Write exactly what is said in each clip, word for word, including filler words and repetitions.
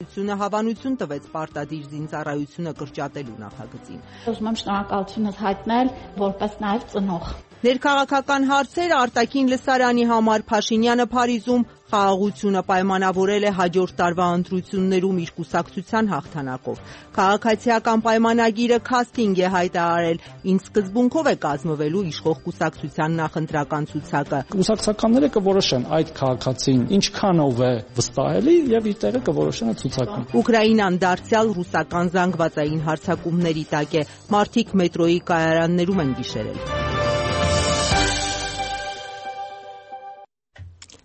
Ությունը հավանություն տվեց պարտադիր զինծառայությունը կրճատելու նախագծին։ Ուզում եմ շնորհակալությունս հայտնել որպես նաև ծնող։ Ներքաղաքական հարցեր արտաքին լսարանի համար Փաշինյանը Փարիզում խաղաղությունը պայմանավորել է հաջորդ տարվա ընտրություններում իր կուսակցության հաղթանակով։ Քաղաքացիական պայմանագիրը քաստինգ է հայտարարել, ինչ սկզբունքով է կազմվելու իշխող կուսակցության նախընտրական ցուցակը։ Կուսակցականները կորոշեն այդ քաղաքացին ինչքանով է վստահելի եւ իր տեղը կորոշեն ցուցակում։ Ուկրաինան դարձյալ ռուսական զանգվածային հարձակումների տակ է, մարդիկ մետրոյի կայարաններում են գիշերել։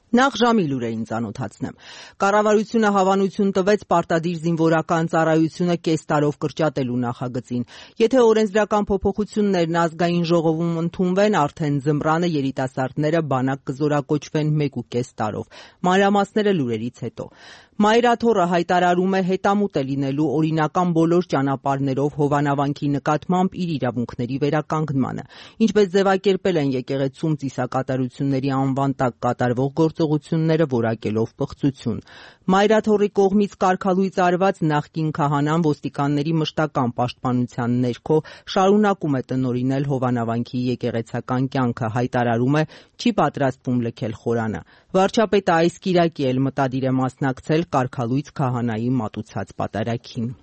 Նախ ժամի լուրերին ծանոթացնեմ։ Կառավարությունը հավանություն տվեց պարտադիր զինվորական ծառայությունը կես տարով կրճատելու նախագծին։ Եթե օրենսդրական փոփոխություններն ազգային ժողովում ընդունվեն, արդեն ձմռանը երիտասարդները բանակ կզորակոչվեն մեկ ու կես տարով։ Մանրամասները լուրերից հետո։ Մայրաթոռը հայտարարում է հետամուտ է լինելու օրինական բոլոր ճանապարհներով Հովանավանքի նկատմամբ իր իրավունքների վերականգնմանը։ Ինչպես ձևակերպել են եկեղեցում ծիսակատարությունների անվան տակ կատարվող գործողությունները որակելով պղծություն։ Մայրաթոռի կողմից կարգալույծ արված նախկին քահանան ոստիկանների մշտական պաշտպանության ներքո շարունակում է տնօրինել Հովանավանքի եկեղեցական կյանքը, հայտարարում է չի պատրաստվում լքել խորանը։ Վարչապետը այս կիրակի էլ մտադիր է մասնակցել կարգալույծ քահանայի մատուցած պատարագին։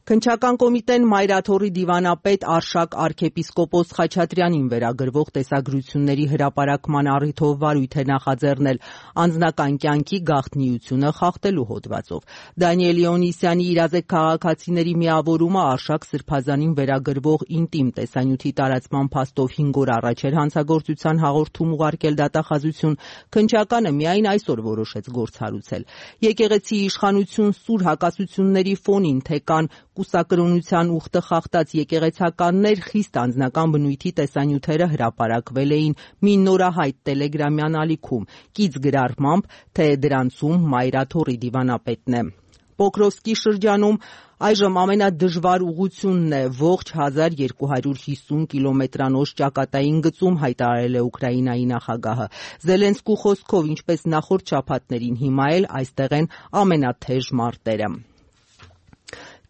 Քննչական կոմիտեն Մայրաթոռի դիվանապետ Արշակ arczepiskopos Խաչատրյանին վերագրվող տեսագրությունների հրապարակման առիթով վարույթ է նախաձեռնել անձնական կյանքի գաղտնիությունը խախտելու հոդվածով։ Դանիել Իոնիսյանի իրազեկ քաղաքացիների միավորումը Արշակ Սրբազանին վերագրվող ինտիմ տեսանյութի տարածման փաստով հինգ օր առաջ էր հանցագործության հաղորդում ուղարկել դատախազություն, քննչականը միայն այսօր որոշեց գործ հարուցել։ Եկեղեցի իշխանություն սուր հակասությունների ֆոնին թե կան կուսակրոնության ուխտը խախտած եկեղեցականներ խիստ անձնական բնույթի տեսանյութերը հրապարակվել էին մի նորահայտ տելեգրամյան ալիքում, կից գրառմամբ, թե դրանցում Մայրաթոռի դիվանապետն է։ Պոկրովսկի շրջանում այժմ ամենադժվար ուղղությունն է ողջ հազար երկու հարյուր հիսուն կիլոմետրանոց ճակատային գծում, հայտարարել է Ուկրաինայի նախագահը։ Զելենսկու խոսքով, ինչպես նախորդ շաբաթներին, հիմա էլ այստեղ են ամենաթեժ մարտերը։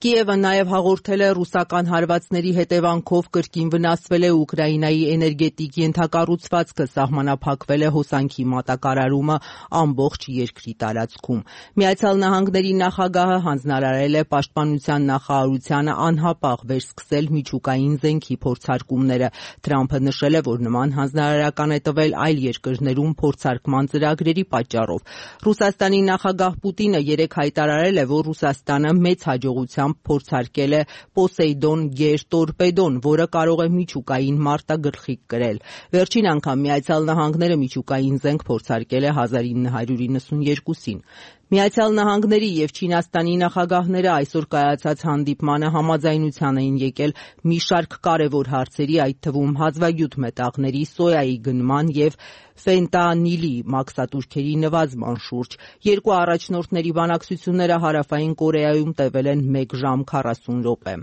Կիևը նաև հաղորդել է ռուսական հարվածների հետևանքով կրկին վնասվել է Ուկրաինայի էներգետիկ ենթակառուցվածքը, սահմանափակվել է հոսանքի մատակարարումը ամբողջ երկրի տարածքում։ Միացյալ Նահանգների նախագահը հանձնարարել է պաշտպանության նախարարությանը անհապաղ վերսկսել միջուկային զենքի փորձարկումները։ Թրամփը նշել է, որ նման հանձնարարական է տվել այլ երկրներում փորձարկման ծրագրերի պատճառով։ Ռուսաստանի նախագահ Պուտինը երեկ հայտարարել է, որ Ռուսաստանը մեծ հաջողությամբ փորձարկել է Պոսեյդոն գերտորպեդոն, որը կարող է միջուկային մարտագլխիկ կրել։ Վերջին անգամ Միացյալ Նահանգները միջուկային զենք փորձարկել է հազար ինը հարյուր իննսունյոթին։ Միացյալ Նահանգների եւ Չինաստանի նախագահները այսօր կայացած հանդիպմանը համաձայնության էին եկել մի շարք կարևոր հարցերի, այդ թվում հազվագյուտ մետաղների, սոյայի գնման եւ ֆենտանիլի մաքսատուրքերի նվազման շուրջ։ Երկու առաջնորդների բանակցությունները Հարավային Կորեայում տևել են մեկ ժամ քառասուն րոպե։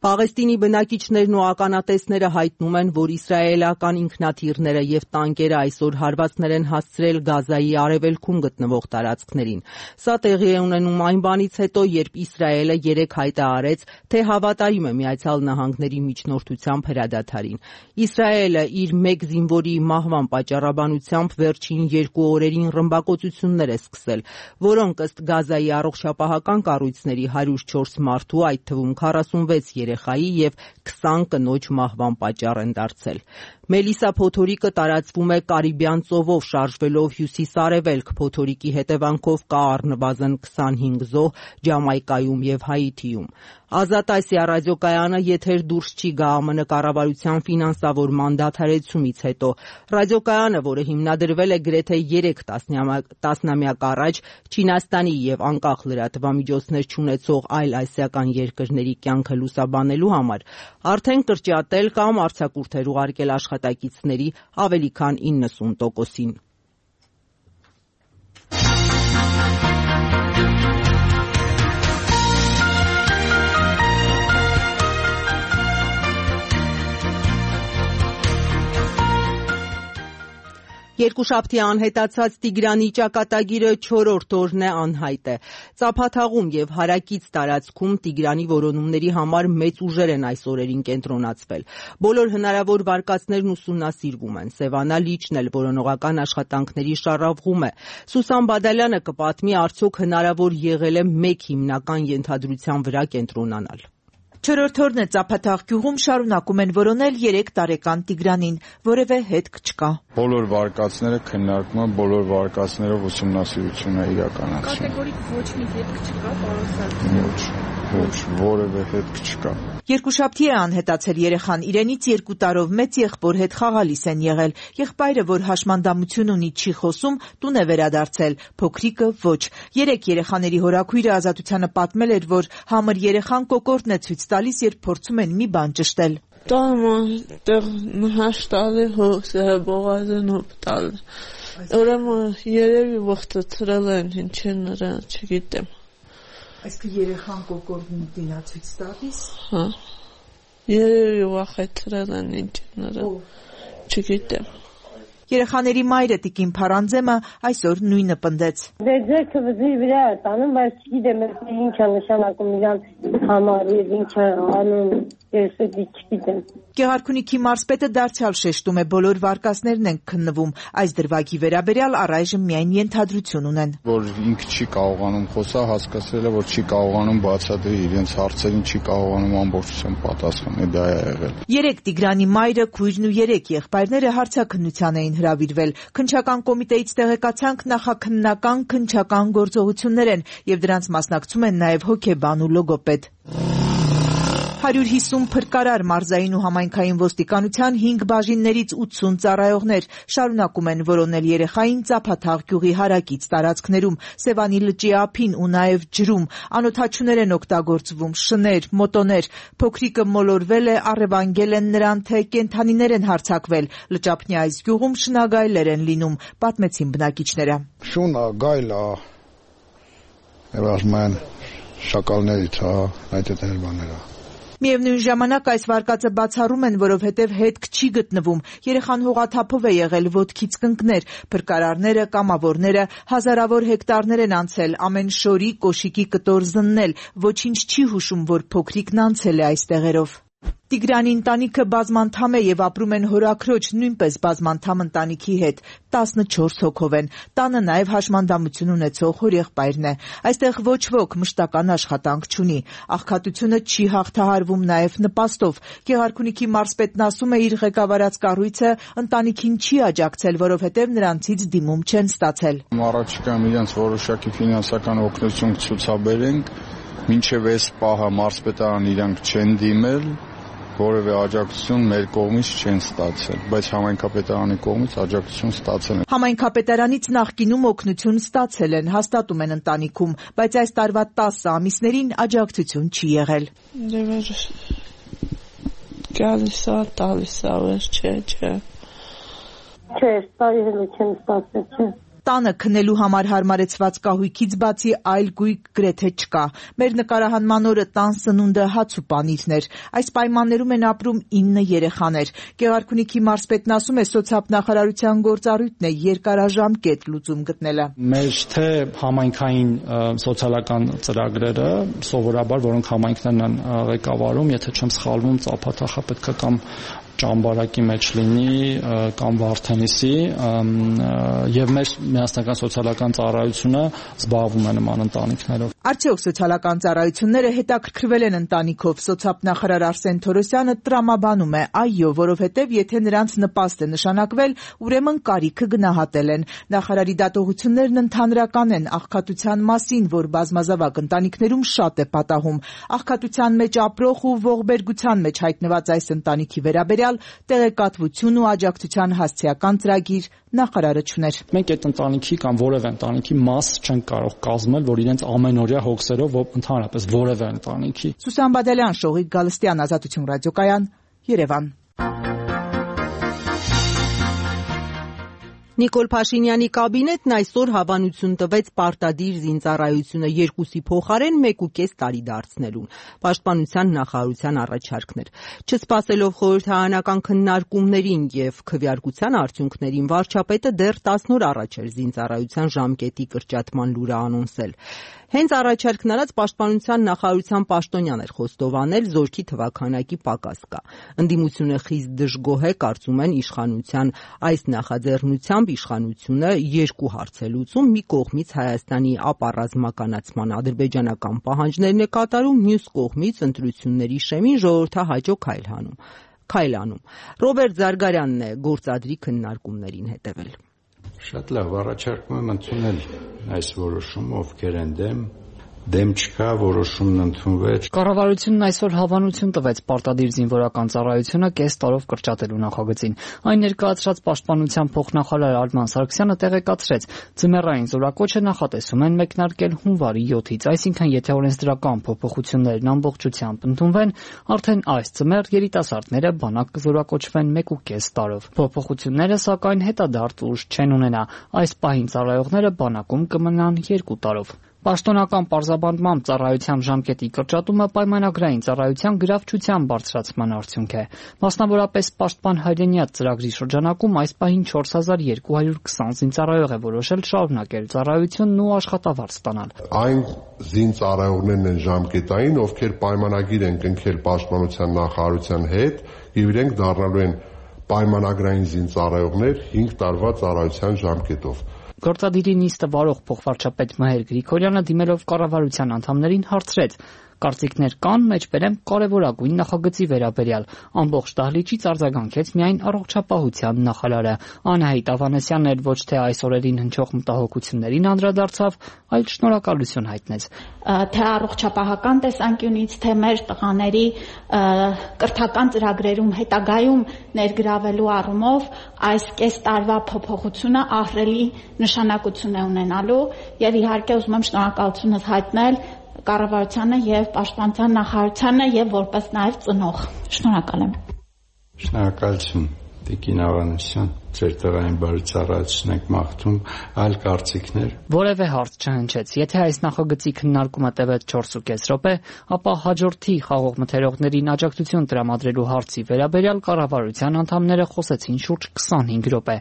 Պաղեստինի բնակիչներն ու ականատեսները հայտնում են, որ իսրայելական ինքնաթիռները եւ տանկերը այսօր հարվածներ են հասցրել Գազայի արևելքում գտնվող տարածքներին։ Սա տեղի է ունենում այն բանից հետո, երբ Իսրայելը երեկ հայտարարեց, թե հավատարիմ է Միացյալ Նահանգների միջնորդությամբ հրադադարին։ Իսրայելը իր մեկ զինվորի մահվան պատճառաբանությամբ վերջին երկու օրերին ռմբակոծություններ է սկսել, որոնք ըստ Գազայի առողջապահական կառույցների հարյուր չորս մարդու, այդ թվում քառասունվեց երեխայի եւ քսան կնոջ մահվան պատճառ են դարձել։ Մելիսա փոթորիկը տարածվում է Կարիբյան ծովով շարժվելով հյուսիս-արևելք, փոթորիկի հետևանքով կա առնվազն քսանհինգ զոհ Ջամայկայում եւ Հայիթիում։ Ազատ Ասիա ռադիոկայանը եթեր դուրս չի գա ԱՄՆ կառավարության ֆինանսավորման դադարեցումից հետո։ Ռադիոկայանը, որը հիմնադրվել է գրեթե երեք տասնամյակ առաջ Չինաստանի եւ անկախ լրատվամիջոցներ չունեցող այլ ասիական երկրների կյանքը լուսաբանելու համար, արդեն կրճատել կամ արձակուրդեր ուղարկել աշխատակիցների ավելի քան իննսուն տոկոսին։ Երկուշաբթի անհետացած Տիգրանի ճակատագիրը չորրորդ օրն է անհայտ է։ Ծափաթաղում եւ հարակից տարածքում Տիգրանի որոնումների համար մեծ ուժեր են այս օրերին կենտրոնացվել։ Բոլոր հնարավոր վարկածներն ուսումնասիրվում են։ Սևանա Լիչն էլ որոնողական աշխատանքների շարավղում է։ Սուսան Բադալյանը կպատմի, արդյոք հնարավոր եղել է մեկ հիմնական ենթադրության վրա կենտրոնանալ։ Չորրորդ օրն է Ծափաթաղ գյուղում շարունակում են որոնել երեք տարեկան Տիգրանին, որևէ հետք չկա։ Բոլոր վարկածները քննարկում են, բոլոր վարկածներով ուսումնասիրություն է իրականացվում։ Կատեգորիկ ոչ մի հետք չկա, պարոն Սարգսյան։ Ոչ, ոչ, որևէ հետք չկա։ Երկուշաբթի է անհետացել երեխան, իրենից երկու տարով մեծ եղբոր հետ խաղալիս են եղել։ Եղբայրը, որ հաշմանդամություն ունի, չի խոսում, տուն է վերադարձել, փոքրիկը ոչ։ Երեք երեխաների հորաքույրը Ազատությանը պատմել էր, որ համր երեխան կոկորդն է ցույց տալիս, երբ փորձում են մի բան ճշտել։ Տանը տեղ նահաշտալի հոսը բողազն օպտալ։ Ուրեմն երևի ողջացրել են, ինչ է նրա, չգիտեմ։ Այսինքն երեխան կոկորդն դինա ցույց տալիս։ Հա։ Երևի վախեցրել են, ինչ է նրա, չգիտեմ։ Երեխաների մայրը Տիկին Փարանձեմը այսօր նույնը պնդեց։ Դե ձերքը վզի վրա է տանում, բայց չգիտեմ ինչ է նշանակում իրան համար եւ ինչ է անում, ես չգիտեմ։ Գեղարքունիքի մարզպետը դարձյալ շեշտում է, բոլոր վարկածներն են քննվում, այս դրվագի վերաբերյալ առայժմ միայն ենթադրություն ունեն։ Որ ինքը չի կարողանում խոսալ, հասկացել է, որ չի կարողանում բացատրի իրենց հարցերին, չի կարողանում ամբողջությամբ պատասխանել, դա է եղել։ Երեք Տիգրանի մայրը, քույրն ու երեք եղբայրները հարցաքննության էին հրավիրվել։ Քննչական կոմիտեից տեղեկացանք, նախաքննական քննչական գործողություններ են եւ դրանց մասնակցում են նաեւ հոգեբան ու լոգոպեդ։ հարյուր հիսուն փրկարար մարզային ու համայնքային ոստիկանության հինգ բաժիններից ութսուն ծառայողներ շարունակում են որոնել երեխային Ծափաթաղ գյուղի հարակից տարածքներում, Սևանի լճի ափին ու նաև ջրում։ Անօդաչուներ են օգտագործվում, շներ, մոտոներ։ Փոքրիկը մոլորվել է, առևանգել են նրան, թե կենդանիներ են հարձակվել։ Լճափնի այս գյուղում շնագայլեր են լինում, պատմեցին բնակիչները։ Շունա, գայլա, եւ ասում են շակալներից, հա, այդ այդ բաները։ Միևնույն ժամանակ այս վարկածը բացառում են, որովհետև հետք չի գտնվում։ Երեխան հողաթափով է եղել, ոտքից կընկներ, փրկարարները, կամավորները հազարավոր հեկտարներ են անցել, ամեն շորի, կոշիկի կտոր զննել, ոչինչ չի հուշում, որ փոքրիկն անցել է այս տեղերով։ Տիգրանի ընտանիքը բազմանդամ է եւ ապրում են հորաքրոջ նույնպես բազմանդամ ընտանիքի հետ, տասնչորս հոգով են։ Տանը նաեւ հաշմանդամություն ունեցող հորեղբայրն է։ Այստեղ ոչ ոք մշտական աշխատանք չունի։ Աղքատությունը չի հաղթահարվում նաեւ նպաստով։ Գեղարքունիքի մարզպետն ասում է, իր ղեկավարած կառույցը ընտանիքին չի աջակցել, որովհետեւ նրանցից դիմում չեն ստացել։ Առաջիկայում իրենց որոշակի ֆինանսական օգնություն ցուցաբերենք, մինչեւ այս պահը մարզպետարան իրանք չեն դիմել, որևէ աջակցություն մեր կողմից չեն ստացել, բայց համայնքապետարանի կողմից աջակցություն ստացել են։ Համայնքապետարանից նախկինում օգնություն ստացել են, հաստատում են ընտանիքում, բայց այս տարվա տասը ամիսներին աջակցություն չի եղել։ Դե գալիս է, տալիս է, չէ, չէ։ Չէ, տարի հենց չեմ ստացել, չէ։ Տանը քնելու համար հարմարեցված կահույքից բացի այլ գույք գրեթե չկա։ Մեր նկարահանման օրը տան սնունդը հաց ու պանիրն էր։ Այս պայմաններում են ապրում ինը երեխաներ։ Գեղարքունիքի մարզպետն ասում է, սոցիալնախարարության գործառույթն է երկարաժամկետ լուծում գտնելը։ Մեր թե համայնքային սոցիալական ծրագրերը, սովորաբար որոնք համայնքներն են ղեկավարում, եթե չեմ սխալվում, Ծափաթաղը պետք է կամ ճամբարակի մեջ լինի կամ Վարդենիսի եւ մեր միասնական սոցիալական ծառայությունը զբաղվում է նման ընտանիքներով։ Արդյոք սոցիալական ծառայությունները հետաքրքրվել են ընտանիքով։ Սոցիալնախարար Արսեն Թորոսյանը տրամաբանում է, այո, որովհետեւ եթե նրանց նպաստ է նշանակվել, ուրեմն կարիքը գնահատել են։ Նախարարի դատողություններն ընդհանրական են աղքատության մասին, որ բազմազավակ ընտանիքներում շատ է պատահում։ Աղքատության մեջ ապրող ու ողբերգության մեջ հայտնված այս ընտանիքի վերաբերյալ տեղեկատվություն ու աջակցության հասցեական ծրագիր նախարարը չուներ։ Մենք այդ ընտանիքի կամ որևէ ընտանիքի մաս չենք կարող կազմել, որ իրենց ամենօրյա հոգսերով ընդհանրապես որևէ ընտանիքի։ Սուսան Բադալյան, Շողիկ Գալստյան, Ազատություն ռադիոկայան, Երևան։ Նիկոլ Փաշինյանի կաբինետն այսօր հավանություն տվեց պարտադիր զինծառայությունը երկուսի փոխարեն մեկ ու կես տարի դարձնելուն։ Պաշտպանության նախարարության առաջարկն էր։ Չսպասելով խորհրդարանական քննարկումներին եւ քվեարկության արդյունքներին, վարչապետը դեռ տասն օր առաջ էր զինծառայության ժամկետի կրճատման լուրը անոնսել։ Հենց առաջարկն արած պաշտպանության նախարարության պաշտոնյան էր խոստովանել, զորքի թվաքանակի պակաս կա։ Ընդդիմությունը խիստ դժգոհ է, կարծում են իշխանության այս նախաձեռնությամբ իշխանությունը երկու հարց է լուծում, մի կողմից Հայաստանի ապառազմականացման ադրբեջանական պահանջներն է կատարում, մյուս կողմից ընտրությունների շեմին ժողովրդահաճո քայլ հանում։ Քայլ անում։ Ռոբերտ Զարգարյանն է գործադրի քննարկումներին հետևել։ Շատ լավ, առաջարկում եմ ընդունել այս որոշումը, ովքեր են դեմ, դեմ չկա, որոշումն ընդունվեց։ Կառավարությունն այսօր հավանություն տվեց պարտադիր զինվորական ծառայությունը կես տարով կրճատելու նախագծին։ Այն ներկայացրած պաշտպանության փոխնախարար Արման Սարգսյանը տեղեկացրեց, ձմեռային զորակոչը նախատեսում են մեկնարկել հունվարի յոթից, այսինքն եթե օրենսդրական փոփոխություններն ամբողջությամբ ընդունվեն, արդեն այս ձմեռ երիտասարդները բանակ կզորակոչվեն մեկ ու կես տարով։ Փոփոխությունները սակայն հետադարձ ուժ չեն ունենա, այս պահին ծառայողները բանակում կմնան երկու տարով։ Պաշտոնական պարզաբանմամբ ծառայության ժամկետի կրճատումը պայմանագրային ծառայության գրավչության բարձրացման արդյունք է։ Մասնավորապես Պաշտպան հայրենիաց ծրագրի շրջանակում այս պահին չորս հազար երկու հարյուր քսան զինծառայող է որոշել շարունակել ծառայությունն ու աշխատավարձ ստանալ։ Այն զինծառայողներն են ժամկետային, ովքեր պայմանագիր են կնքել Պաշտպանության նախարարության հետ եւ իրենք դառնալու են պայմանագրային զինծառայողներ հինգ տարվա ծառայության ժամկետով։ Գործադիրի նիստը վարող փոխվարչապետ Մհեր Գրիգորյանը դիմելով կառավարության անդամներին հարցրեց. Կարծիքներ կան, մեջբերեմ կարևորագույն նախագծի վերաբերյալ։ Ամբողջ դահլիճից արձագանքեց միայն առողջապահության նախարարը։ Անահիտ Ավանեսյանն էլ ոչ թե այս օրերին հնչող մտահոգություններին անդրադարձավ, այլ շնորհակալություն հայտնեց։ Թե առողջապահական տեսանկյունից, թե մեր տղաների կրթական ծրագրերում հետագայում ներգրավելու առումով այս կես տարվա փոփոխությունը ահռելի նշանակություն է ունենալու եւ իհարկե ուզում եմ շնորհակալությունս հայտնել կառավարությանը եւ պաշտպանության նախարարությանը եւ որպես նաեւ ծնող։ Շնորհակալ եմ։ Շնորհակալություն Տիկին Ավանեսյան, ձեր տղային բարի ծառայություն եք մաղթում, այլ կարծիքներ։ Որևէ հարց չհնչեց։ Եթե այս նախագծի քննարկումը տևեց չորս ու կես րոպե, ապա հաջորդի խաղող մթերողներին աջակցություն տրամադրելու հարցի վերաբերյալ կառավարության անդամները խոսեցին շուրջ քսանհինգ րոպե։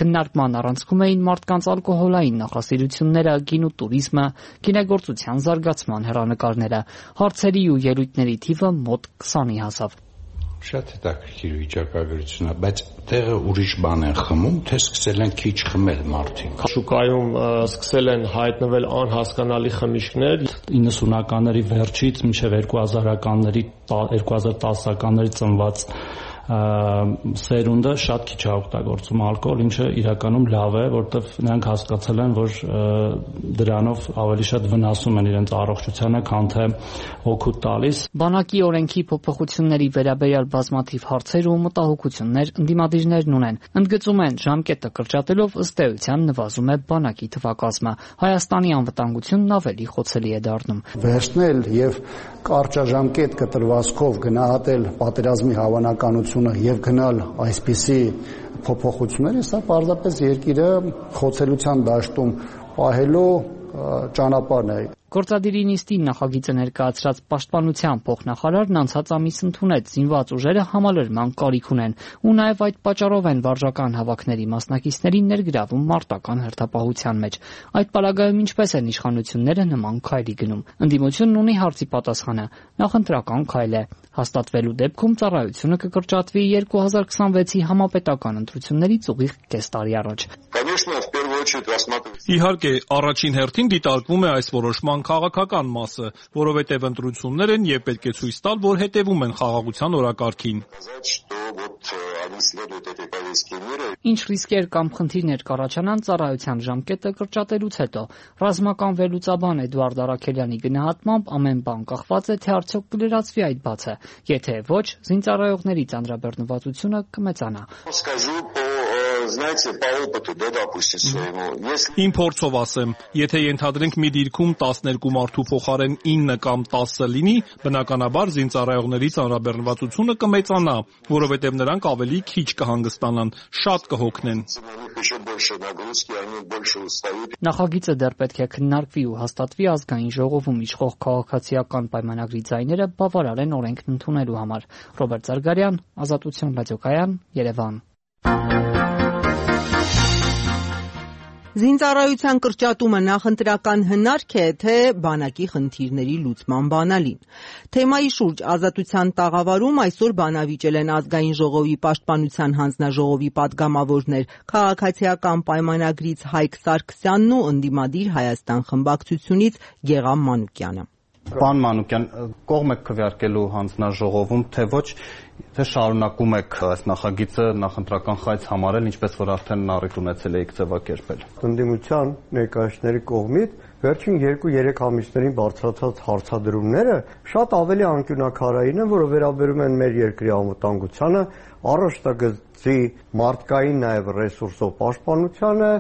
Քննարկման առանցքում էին մարդկանց ալկոհոլային նախասիրությունները, գինու տուրիզմը, գինեգործության զարգացման հեռանկարները։ Հարցերի ու ելույթների թիվը մոտ քսանի հասավ։ Շատ հետաքրքիր վիճակագրություն է, բայց տեղը ուրիշ բան են խմում, թե սկսել են քիչ խմել մարդիկ։ Շուկայում սկսել են հայտնվել անհասկանալի խմիչքներ։ իննսունականների վերջից մինչև երկու հազարականների երկու հազար տասականների ծնված սերունդը շատ քիչ է օգտագործում ալկոհոլ, ինչը իրականում լավ է, որտեղ նրանք հասկացել են, որ դրանով ավելի շատ վնասում են իրենց առողջությանը, քան թե օգուտ տալիս։ Բանակի օրենքի փոփոխությունների վերաբերյալ բազմաթիվ հարցեր ու մտահոգություններ ընդդիմադիրներն ունեն։ Ընդգծում են, ժամկետը կրճատելով ըստ էության նվազում է բանակի թվակազմը։ Հայաստանի անվտանգությունն ավելի խոցելի է դառնում։ Վերցնել եւ կարճաժամկետ կտրվածքով գնահատել պատերազմի հավանականությունը եւ գնալ այսպիսի փոփոխությունների, սա պարզապես երկիրը խոցելիության դաշտում պահելու ճանապարհն է։ Գործադիրի նիստին նախագիծը ներկայացրած պաշտպանության փոխնախարարն անցած ամիս ընդունեց զինված ուժերը համալրման կարիք ունեն ու նաև այդ պատճառով են վարժական հավաքների մասնակիցներին ներգրավում մարտական հերթապահության մեջ։ Այդ պարագայում ինչպես են իշխանությունները նման քայլի գնում։ Ընդդիմությունն ունի հարցի պատասխանը՝ նախընտրական քայլ է։ Հաստատվելու դեպքում ծառայությունը կկրճատվի երկու հազար քսանվեցի համապետական ընտրություններից ուղիղ կես տարի առաջ։ Իհարկե, առաջին հերթին դիտարկվում է այս որոշման քաղաքական մասը, որովհետև ընտրություններ են եւ պետք է ցույց տալ, որ հետեւում են խաղաղության օրակարգին։ Ինչ ռիսկեր կամ խնդիրներ կառաջանան ծառայության ժամկետը կրճատելուց հետո։ Ռազմական վերլուծաբան Էդուարդ Արաքելյանի գնահատմամբ ամեն բան կախված է, թե արդյոք կլրացվի այդ բացը։ Եթե ոչ, զինծառայողների ծանրաբեռնվածությունը կմեծանա։ знаете, по опыту, да, допустим, своему. Если... Իմ փորձով ասեմ, եթե ենթադրենք մի դիրքում տասներկու մարդու փոխարեն ինը կամ տասը լինի, բնականաբար զինծառայողների ծանրաբեռնվածությունը կմեծանա, որովհետև նրանք ավելի քիչ կհանգստանան, շատ կհոգնեն։ Նախագիծը դեռ պետք է քննարկվի ու հաստատվի ազգային ժողովում իշխող քաղաքացիական պայմանագրի ձայները բավարար են օրենքն ընդունելու համար։ Ռոբերտ Զարգարյան, Ազատություն ռադիոկայան, Երևան։ Զինծառայության կրճատումը նախընտրական հնարք է, թե բանակի խնդիրների լուծման բանալին։ Թեմայի շուրջ Ազատության տաղավարում այսօր բանավիճել են ազգային ժողովի պաշտպանության հանձնաժողովի պատգամավորներ, քաղաքացիական պայմանագրից Հայկ Սարգսյանն ու ընդդիմադիր Հայաստան խմբակցությունից Գեղամ Մանուկյանը։ Պարոն Մանուկյան, կողմ եք քվեարկելու հանձնաժողովում, թե ոչ, թե շարունակում եք այս նախագիծը նախընտրական խայծ համարել, ինչպես որ արդեն առիթ ունեցել եք ձևակերպել։ Ընդդիմության ներկայացների կողմից վերջին երկու-երեք ամիսներին բարձրացած հարցադրումները շատ ավելի անկյունակարային են, որը վերաբերում են մեր երկրի անվտանգությանը, առաջնագծի մարդկային նաև ռեսուրսով պաշտպանությանը,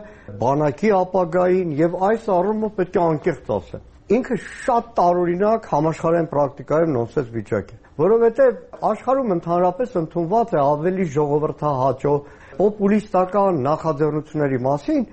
բանակի ապագային եւ այս առումով պետք է անկեղծ ասեմ։ Ինքը շատ տարօրինակ համաշխարհային պրակտիկայում նոնսենս վիճակ է, որովհետև աշխարհում ընդհանրապես ընդունված է ավելի ժողովրդահաճո պոպուլիստական նախաձեռնությունների մասին,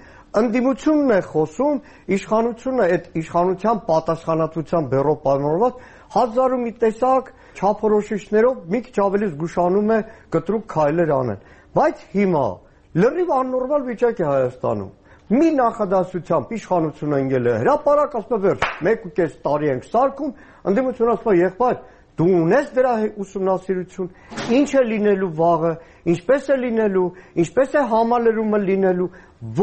ընդդիմությունն է խոսում, իշխանությունը այդ իշխանության պատասխանատվության բեռով պայմանավորված հազար ու մի տեսակ չափորոշիչներով մի քիչ ավելի զգուշանում է կտրուկ քայլեր անեն, բայց հիմա լրիվ աննորմալ վիճակ է Հայաստանում։ Մի նախադասությամբ իշխանությունը ընկել է հրապարակ, ասում է վերջ, մեկ ու կես տարի ենք սարքում, ընդդիմությունը ասում է եղբայր, դու ունես դրա ուսումնասիրություն, ինչ է լինելու վաղը, ինչպես է լինելու, ինչպես է համալրումը լինելու,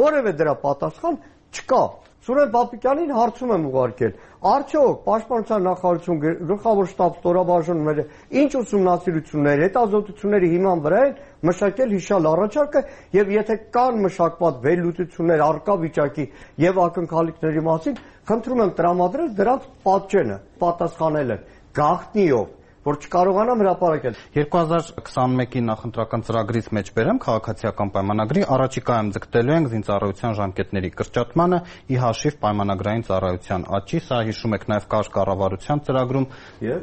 որևէ դրա պատասխան չկա։ Սուրեն Պապիկյանին հարցում եմ ուղարկել, արդյոք պաշտպանության նախարարություն գլխավոր շտաբ ստորաբաժանումները ինչ ուսումնասիրություններ, հետազոտությունների հիման վրա են մշակել հիշալ առաջարկը եւ եթե կան մշակված վերլուծություններ առկա վիճակի եւ ակնկալիքների մասին, խնդրում եմ տրամադրել դրանց պատճենը, պատասխանել են գաղտնիով, որ չկարողանամ հրապարակել։ երկու հազար քսանմեկի նախընտրական ծրագրից մեջ բերեմ քաղաքացիական պայմանագրի, առաջիկայում ձգտելու ենք զինծառայության ժամկետների կրճատմանը ի հաշիվ պայմանագրային ծառայության աճի, սա հիշում եք նաև կար կառավարության ծրագրում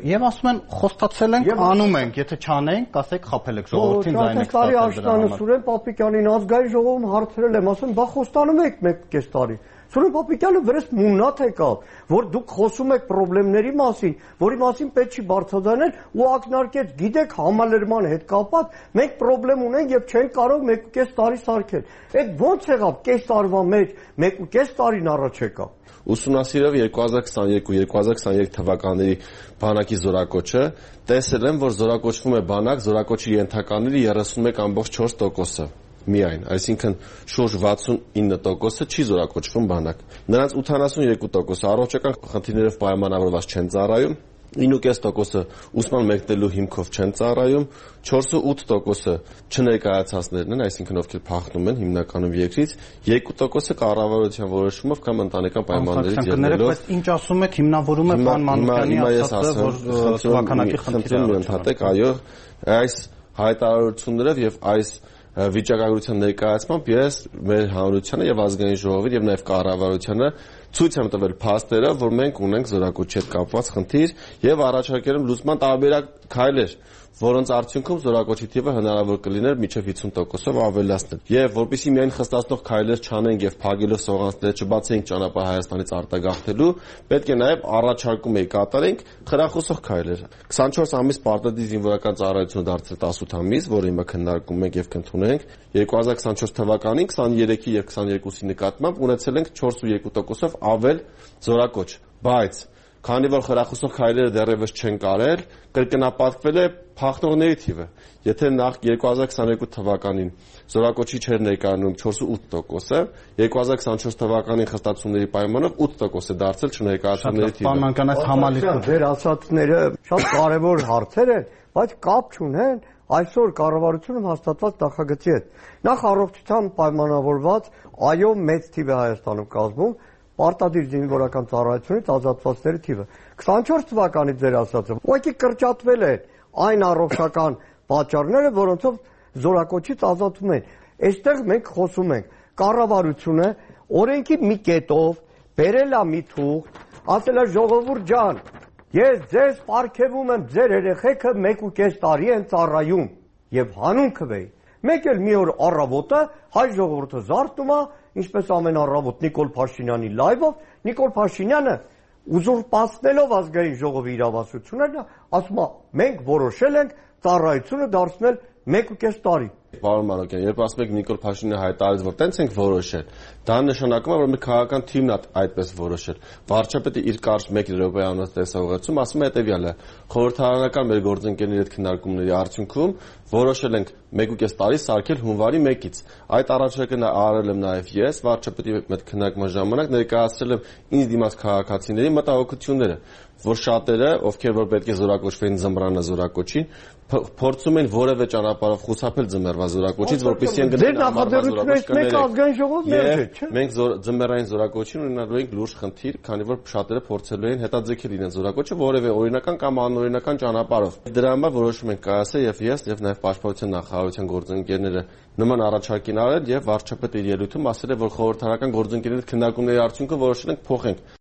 եւ ասում են խոստացել ենք, անում ենք, եթե չանենք, կասեք խաբել եք ժողովրդին ձայն եք ստացել։ Սուրեն Պապիկյանին ազգային ժողովում հարցրել եմ, ասում բա խոստանում եք մեկ կես տարի։ Սուրեն Պապիկյանը վրես մունատ եկավ, որ դուք խոսում եք խնդիրների մասին, որի մասին պետք չի բարձրաձայնել ու ակնարկեց, գիտեք, համալրման հետ կապված մենք խնդրեմ ունենք եւ չենք կարող մեկ ու կես տարի սարքել։ Այդ ո՞նց եղավ կես տարվա մեջ, մեկ ու կես տարին առաջ եկավ։ Ուսումնասիրելով երկու հազար քսաներկու երկու հազար քսաներեք թվականների բանակի զորակոչը, տեսել եմ, որ զորակոչվում է բանակ, զորակոչի ենթականների երեսունմեկ ամբողջ չորս տոկոսը միայն, այսինքն շուրջ վաթսունինը տոկոսը չի զորակոչվում բանակ։ Նրանց ութանասունյոթ տոկոսը առողջական խնդիրներով պայմանավորված չեն ծառայում, ինը ու կես տոկոսը ուսման մեկնելու հիմքով չեն ծառայում, չորսուութ տոկոսը չներկայացածներն են, այսինքն ովքեր փախնում են հիմնականում երկրից, երկու տոկոսը կառավարության որոշումով կամ ընտանեկան պայմաններից ելնելով։ Բայց ինչ ասում եք, հիմնավորում է պարոն Մանուկյանի ասածը, որ թվականակի խնդիրը ընդհատեք, այո, այս հայտարարություններով եւ այս վիճակագրության ներկայացմամբ ես մեր հանրությանը եւ ազգային ժողովին եւ նաեւ կառավարությանը ցույց եմ տվել փաստերը, որ մենք ունենք զորակոչի հետ կապված խնդիր եւ առաջարկել եմ լուծման տարբերակ քայլեր, որոնց արդյունքում զորակոչի թիվը հնարավոր կլիներ մինչև հիսուն տոկոսով ավելացնել։ Եվ որպեսզի միայն խստացնող քայլեր չանենք եւ փագելով սողանցները չբացենք ճանապարհ Հայաստանից արտագաղթելու, պետք է նաեւ առաջարկում էի կատարենք խրախուսող քայլեր։ քսանչորս ամիս պարտադիր զինվորական ծառայությունը դարձել տասութ ամիս, որը հիմա քննարկում ենք եւ կընդունենք։ երկու հազար քսանչորս թվականին քսաներեքի եւ քսաներկուսի նկատմամբ ունեցել ենք չորս ու երկու տոկոսով ավել զորակոչ, բայց քանի որ խրախուսող քայլերը դեռևս չեն կարել, կրկնապատկվել է փախնողների թիվը։ Եթե նախ երկու հազար քսաներկու թվականին զորակոչի չէր ներկայանում չորս ու ութ տոկոսը, երկու հազար քսանչորս թվականին խստացումների պայմանով ութ տոկոս է դարձել չներկայացումների թիվը։ Պարոն Մանուկյան, այս համալիրը ձեր ասածները շատ կարևոր հարցեր են, բայց կապ չունեն այսօր կառավարությունում հաստատված նախագծի հետ։ Նախ առողջության պայմանավորված այո մեծ թիվ է Հայաստանում կազմում պարտադիր զինվորական ծառայությունից ազատվածների թիվը։ քսանչորս թվականից ձեր ասածը ուղղակի կրճատվել են այն առողջական պատճառները, որոնցով զորակոչից ազատում են։ Այստեղ մենք խոսում ենք կառավարությունը օրենքի մի կետով բերել է մի թուղթ, ասել է ժողովուրդ ջան, ես ձեզ պարգևում եմ, ձեր երեխեքը մեկ ու կես տարի են ծառայում եւ հանուն քվեի։ Մեկ էլ մի օր առավոտը հայ ժողովուրդը զարթնում է, ինչպես ամեն առավոտ Նիկոլ Փաշինյանի լայվով, Նիկոլ Փաշինյանը ուզուրպացնելով ազգային ժողովի իրավասությունները, ասում է մենք որոշել ենք ծառայությունը դարձնել մեկ ու կես տարի։ Պարոն Մանուկյան, երբ ասում եք Նիկոլ Փաշինյանը հայտարարեց, որ տենց ենք որոշել, դա նշանակում է, որ մի քաղաքական թիմն է այդպես որոշել։ Վարչապետը իր կարճ մեկ րոպեանոց տեսողությունում ասում է հետևյալը. խորհրդարանական մեր գործընկերների հետ քննարկումների արդյունքում որոշել ենք մեկ ու կես տարի սարքել հունվարի մեկից։ Այդ առաջարկը արել եմ նաև ես, վարչապետի հետ քննարկման ժամանակ ներկայացրել եմ ինձ դիմաց քաղաքացիների մտահոգությունները, որ շատերը, ովքեր որ պետք է զորակոչվեն ձմռանը զորակոչին, փորձում են որևէ ճանապարհով խուսափել ձմեռվա զորակոչից, որպեսզի ընկնեն ամառվա զորակոչները։ Մենք ձմեռային զորակոչին ունենալու ենք լուրջ խնդիր, քանի որ շատերը փորձելու են հետաձգել իրենց զորակոչը որևէ օրինական կամ անօրինական ճանապարհով։ Դրա համար որոշում ենք կայացել եւ ես եւ նաեւ Պաշտպանության նախարարության գործընկերները նման առաջարկին արել եւ վարչապետը իր ելույթում ասել է, որ խորհրդարանական գործընկերների հետ քննարկումների արդյունքում որոշել ենք փոխենք։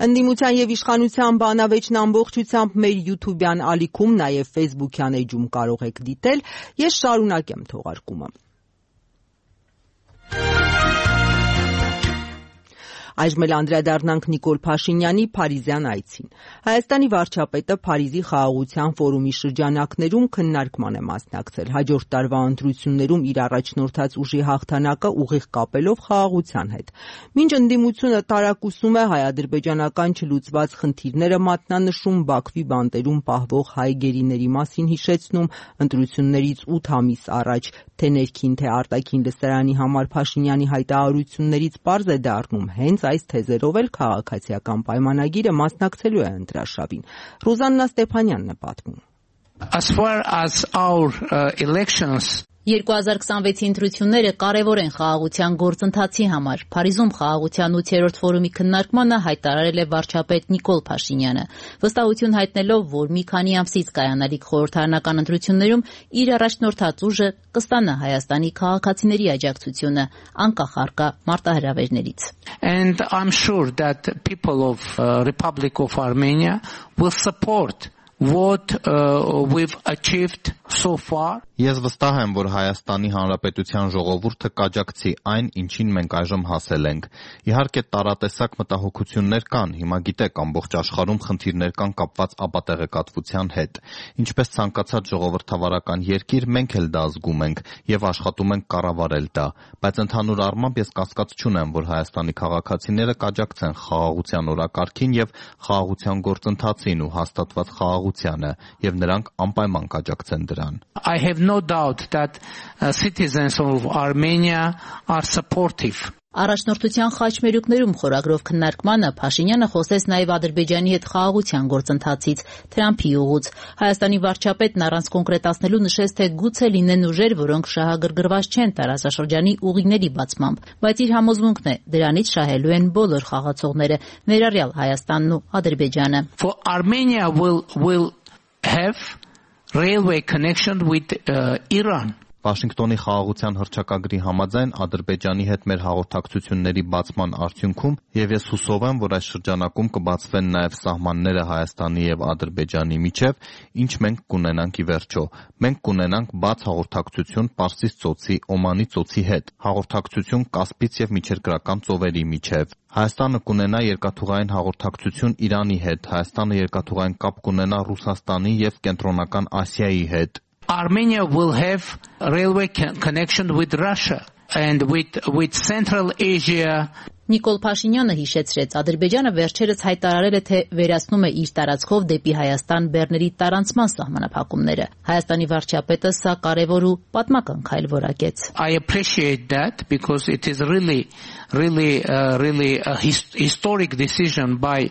Ընդդիմության եւ իշխանության բանավեճն ամբողջությամբ մեր YouTube-յան ալիքում, նաեւ Facebook-յան էջում կարող եք դիտել։ Ես շարունակեմ թողարկումը։ Այժմ էլ անդրադառնանք Նիկոլ Փաշինյանի Փարիզյան այցին։ Հայաստանի վարչապետը Փարիզի խաղաղության ֆորումի շրջանակներում քննարկման է մասնակցել։ Հաջորդ տարվա ընտրություններում իր առաջնորդած ուժի հաղթանակը ուղիղ կապելով խաղաղության հետ։ Մինչ ընդդիմությունը տարակուսում է հայ-ադրբեջանական չլուծված խնդիրները մատնանշում, Բաքվի բանտերում պահվող հայ գերիների մասին հիշեցնում, ընտրություններից ութ ամիս առաջ թե ներքին, թե արտաքին լսարանի համար Փաշինյանի հայտարարություններից պարզ է դառնում հենց այս թեզերով էլ քաղաքացիական պայմանագիրը մասնակցելու է ընտրարշավին։ Ռուզաննա Ստեփանյանն է պատմում։ As far as our uh, elections երկու հազար քսանվեցի ընտրությունները կարևոր են խաղաղության գործընթացի համար։ Փարիզում խաղաղության ութերորդ ֆորումի քննարկմանը հայտարարել է վարչապետ Նիկոլ Փաշինյանը, վստահություն հայտնելով, որ մի քանի ամսից կայանալիք խորհրդարանական ընտրություններում իր առաջնորդած ուժը կստանա Հայաստանի քաղաքացիների աջակցությունը, անկախ առկա մարտահրավերներից։ And I'm sure that people of uh, Republic of Armenia will support what uh, we've achieved so far. Ես վստահ եմ, որ Հայաստանի Հանրապետության ժողովուրդը կաջակցի այն, ինչին մենք այժմ հասել ենք։ Իհարկե տարատեսակ մտահոգություններ կան, հիմա գիտեք, ամբողջ աշխարհում խնդիրներ կան կապված ապատեղեկատվության հետ։ Ինչպես ցանկացած ժողովրդավարական երկիր, մենք էլ դա զգում ենք եւ աշխատում ենք կառավարել դա, բայց ընդհանուր առմամբ ես կասկած չունեմ, որ Հայաստանի քաղաքացիները կաջակցեն խաղաղության օրակարգին եւ խաղաղության գործընթացին ու հաստատված խաղաղությանը, եւ նրանք անպայման կաջակցեն դրան։ I have no doubt that uh, citizens of Armenia are supportive. Առաջնորդության խաչմերուկներում խորագրով քննարկմանը Փաշինյանը խոսեց նաև Ադրբեջանի հետ խաղաղության գործընթացից, Թրամփի ուղուց։ Հայաստանի վարչապետն առանց կոնկրետացնելու նշեց, թե գուցե լինեն ուժեր, որոնք շահագրգռված չեն տարածաշրջանի ուղիների բացմամբ, բայց իր համոզմունքն է, դրանից շահելու են բոլոր խաղացողները, ներառյալ Հայաստանն ու Ադրբեջանը։ For Armenia will will have railway connection with uh, Iran. Վաշինգտոնի խաղաղության հռչակագրի համաձայն Ադրբեջանի հետ մեր հաղորդակցությունների բացման արդյունքում եւ ես հուսով եմ, որ այս շրջանակում կբացվեն նաեւ սահմանները Հայաստանի եւ Ադրբեջանի միջեւ, ինչ մենք կունենանք ի վերջո։ Մենք կունենանք բաց հաղորդակցություն Պարսից ծոցի, Օմանի ծոցի հետ, հաղորդակցություն Կասպից եւ միջերկրական ծովերի միջեւ։ Հայաստանը կունենա երկաթուղային հաղորդակցություն Իրանի հետ, Հայաստանը երկաթուղային կապ կունենա Ռուսաստանի եւ Կենտրոնական Ասիայի հետ։ Armenia will have railway connection with Russia and with with Central Asia. Նիկոլ Փաշինյանը հիշեցրեց, Ադրբեջանը վերջերս հայտարարել է, թե վերացնում է իր տարածքով դեպի Հայաստան բեռների տարանցման սահմանափակումները։ Հայաստանի վարչապետը սա կարևոր ու պատմական քայլ որակեց։ I appreciate that because it is really really uh, really a his historic decision by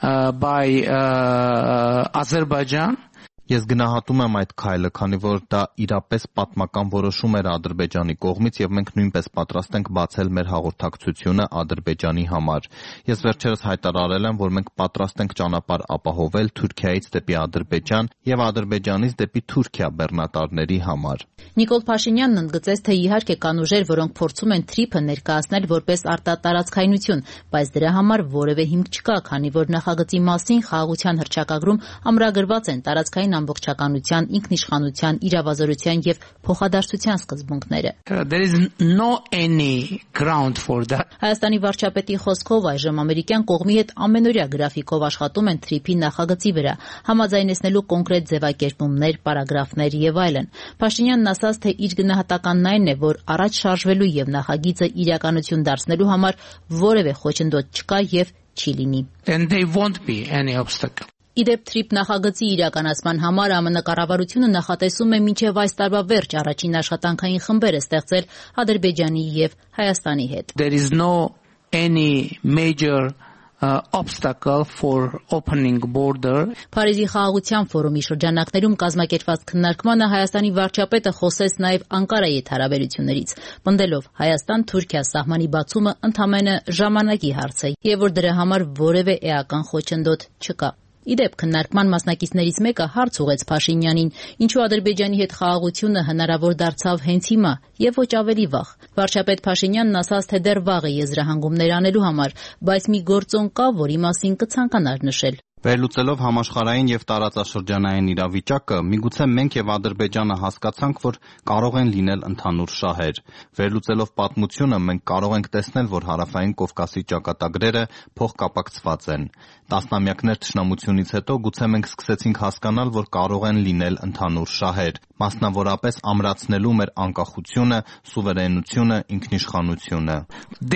uh, by uh, Azerbaijan. Ես գնահատում եմ այդ քայլը, քանի որ դա իրապես պատմական որոշում էր Ադրբեջանի կողմից եւ մենք նույնպես պատրաստ ենք բացել մեր հաղորդակցությունը Ադրբեջանի համար։ Ես վերջերս հայտարարել եմ, որ մենք պատրաստ ենք ճանապարհ ապահովել Թուրքիայից դեպի Ադրբեջան եւ Ադրբեջանից դեպի Թուրքիա բեռնատարների համար։ Նիկոլ Փաշինյանն ընդգծեց, թե իհարկե կան ուժեր, որոնք փորձում են Թրիփը ներկայացնել որպես արտատարածքայնություն, բայց դրա համար որևէ հիմք չկա, քանի որ նախագծի մասին խաղաղության հռչակագրում ամրագրված են տարածքային ամբողջականության, ինքնիշխանության, իրավազորության եւ փոխադարձության սկզբունքները։ There is no any ground for that. Հայաստանի վարչապետի խոսքով այժմ ամերիկյան կողմի հետ ամենօրյա գրաֆիկով աշխատում են Թրիփի նախագծի վրա, համաձայնեցնելու կոնկրետ ձևակերպումներ, պարագրաֆներ եւ այլն։ Փաշինյանն ասաց, թե իր գնահատականն այն է, որ առաջ շարժվելու եւ նախագիծը իրականություն դարձնելու համար որևէ խոչընդոտ չկա եւ չի լինի։ And there won't be any obstacle. Իդեպ Թրիփ նախագծի իրականացման համար ԱՄՆ կառավարությունը նախատեսում է մինչև այս տարվա վերջ առաջին աշխատանքային խմբերը ստեղծել Ադրբեջանի եւ Հայաստանի հետ։ There is no any major uh, obstacle for opening border. Փարիզի խաղաղության ֆորումի շրջանակներում կազմակերպված քննարկմանը Հայաստանի վարչապետը խոսեց նաև Անկարայի հետ հարաբերություններից, պնդելով Հայաստան-Թուրքիա սահմանի բացումը ընդամենը ժամանակի հարց է եւ որ դրա համար որևէ էական խոչընդոտ չկա։ Իդեպ քննարկման մասնակիցներից մեկը հարց ուղեց Փաշինյանին, ինչու Ադրբեջանի հետ խաղաղությունը հնարավոր դարձավ հենց հիմա եւ ոչ ավելի վաղ։ Վարչապետ Փաշինյանն ասաց, թե դեռ վաղ է եզրահանգումներ անելու համար, բայց մի գործոն կա, որի մասին կցանկանար նշել։ Վերլուծելով համաշխարհային եւ տարածաշրջանային իրավիճակը, միգուցե մենք եւ Ադրբեջանը հասկացանք, որ կարող են լինել ընդհանուր շահեր։ Վերլուծելով պատմությունը, մենք կարող ենք տեսնել, որ Հարավային Կովկասի ճակատագրերը փոխկապակցված են։ Տասնամյակներ թշնամությունից հետո գուցե մենք սկսեցինք հասկանալ, որ կարող են լինել ընդհանուր շահեր, մասնավորապես ամրացնելու մեր անկախությունը, սուվերենությունը, ինքնիշխանությունը։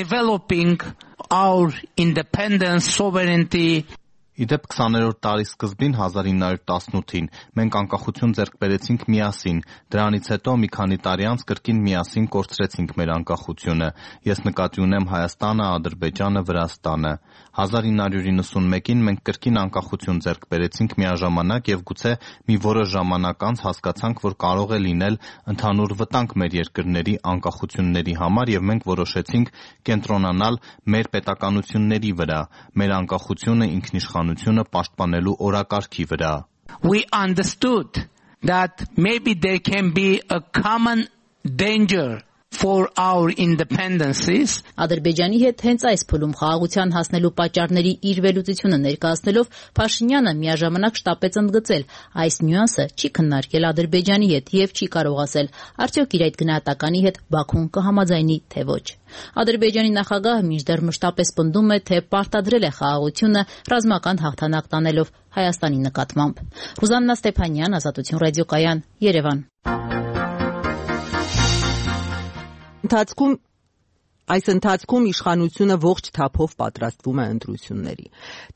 Developing our independence, sovereignty. Իդեպ քսաներորդ տարի սկզբին հազար ինը հարյուր տասնութին մենք անկախություն ձեռք բերեցինք միասին, դրանից հետո մի քանի տարի անց կրկին միասին կորցրեցինք մեր անկախությունը։ Ես նկատի ունեմ Հայաստանը, Ադրբեջանը, Վրաստանը։ հազար ինը հարյուր իննսունմեկին մենք կրկին անկախություն ձեռք բերեցինք միաժամանակ եւ գուցե մի որոշ ժամանակ անց հասկացանք, որ կարող է լինել ընդհանուր վտանգ մեր երկրների անկախությունների համար եւ մենք որոշեցինք կենտրոնանալ մեր պետականությունների վրա, մեր անկախությունը, ինքնիշխանությունը պաշտպանելու օրակարգի վրա։ We understood that maybe there can be a common danger for our independencies. Ադրբեջանի հետ հենց այս փուլում խաղաղության հասնելու պատճառների իր վերլուծությունը ներկայացնելով Փաշինյանը միաժամանակ շտապեց ընդգծել, այս նյուանսը չի քննարկել Ադրբեջանի հետ եւ չի կարող ասել, արդյոք իր այդ գնահատականի հետ Բաքուն կհամաձայնի թե ոչ։ Ադրբեջանի նախագահը մինչդեռ մշտապես պնդում է, թե պարտադրել է խաղաղությունը ռազմական հաղթանակ տանելով Հայաստանի նկատմամբ։ Ռուզաննա Ստեփանյան, Ազատություն ռադիոկայան, Երևան։ Ընթացքում Այս ընթացքում իշխանությունը ողջ թափով պատրաստվում է ընտրությունների։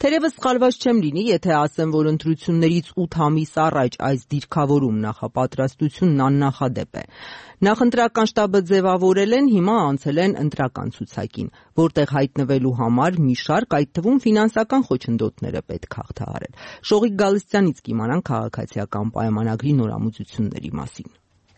Թերևս սխալված չեմ լինի, եթե ասեմ, որ ընտրություններից ութ ամիս առաջ այս դիրքավորում նախապատրաստությունն աննախադեպ է։ Նախընտրական շտաբը ձևավորել են, հիմա անցել են ընտրական ցուցակին, որտեղ հայտնվելու համար մի շարք, այդ թվում ֆինանսական խոչընդոտները պետք է հաղթահարել։ Շողիկ Գալստյանից կիմանանք քաղաքացիական պայմանագրի նորամուծությունների մասին։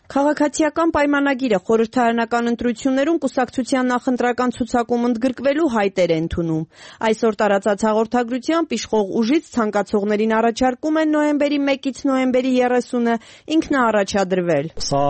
Քաղաքացիական պայմանագիրը խորհրդարանական ընտրություններում կուսակցության նախընտրական ցուցակում ընդգրկվելու հայտեր է ընդունում։ Այսօր տարածած հաղորդագրությամբ իշխող ուժից ցանկացողներին առաջարկում են նոյեմբերի մեկից նոյեմբերի երեսունը ինքնաառաջադրվել։ Սա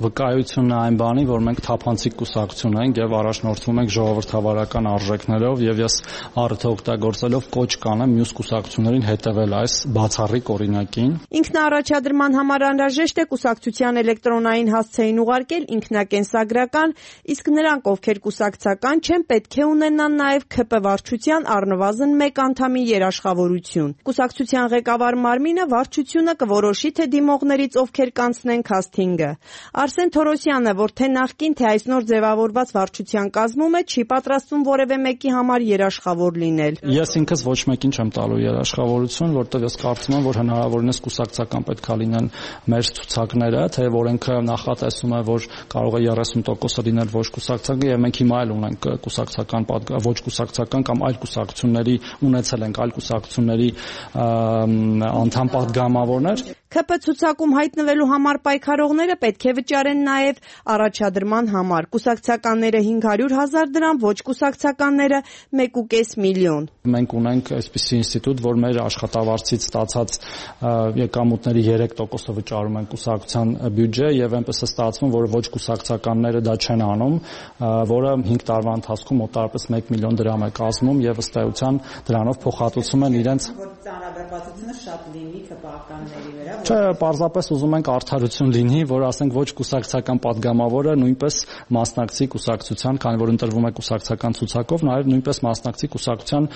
վկայությունն է այն բանի, որ մենք թափանցիկ կուսակցություն ենք եւ առաջնորդվում ենք ժողովրդավարական արժեքներով եւ ես առիթը օգտագործելով կոչ կանեմ մյուս կուսակցություններին հետեւել այս բացառիկ օրինակին։ Ինքնաառաջադրման համար անհրաժեշտ է կուսակցության էլեկտրոնային հասցեին ուղարկել ինքնակենսագրական, իսկ նրանք, ովքեր կուսակցական չեն, պետք է ունենան նաեւ ՔՊ վարչության առնվազն մեկ անդամի երաշխավորություն։ Կուսակցության ղեկավար մարմինը վարչությունը կորոշի, թե դիմողներից ովքեր կանցնեն քասթինգը։ Արսեն Թորոսյանը, որ թե նախկին, թե այս նոր ձևավորված վարչության կազմում է, չի պատրաստվում որևէ մեկի համար երաշխավոր լինել։ Ես ինքս ոչ մեկին չեմ տալու երաշխավորություն, որտեղ ես կարծում եմ, որ հնարավորինս կուսակցական պետք է լինեն մեր ցուցակները, թե օրենքը նախատեսում է, որ կարող է երեսուն տոկոսը լինել ոչ կուսակցական, եւ մենք հիմա էլ ունենք կուսակցական, ոչ կուսակցական կամ այլ կուսակցությունների ունեցել ենք այլ կուսակցությունների անդամ պատգամավորներ։ Ք Փ ցուցակում հայտնվելու համար պայքարողները պետք է վճարեն նաև առաջադրման համար։ Կուսակցականները հինգ հարյուր հազար դրամ, ոչ կուսակցականները մեկ ու կես միլիոն։ Մենք ունենք այսպիսի ինստիտուտ, որ մեր աշխատավարձից ստացած եկամուտների երեք տոկոսը վճարում են կուսակցության բյուջե եւ այնպես է ստացվում, որ ոչ կուսակցականները դա չեն անում, որը հինգ տարվա ընթացքում մոտավորապես մեկ միլիոն դրամ է կազմում եւ ըստ էության դրանով փոխհատուցում են իրենց ծանրաբեռնվածությունը շատ լինի քպականների վրա։ Չէ, պարզապես ուզում ենք արդարություն լինի, որ ասենք ոչ կուսակցական падգամավորը նույնպես մասնակցի կուսակցության, քանի որ ընտրվում է կուսակցական ցուցակով, նաև նույնպես մասնակցի կուսակցության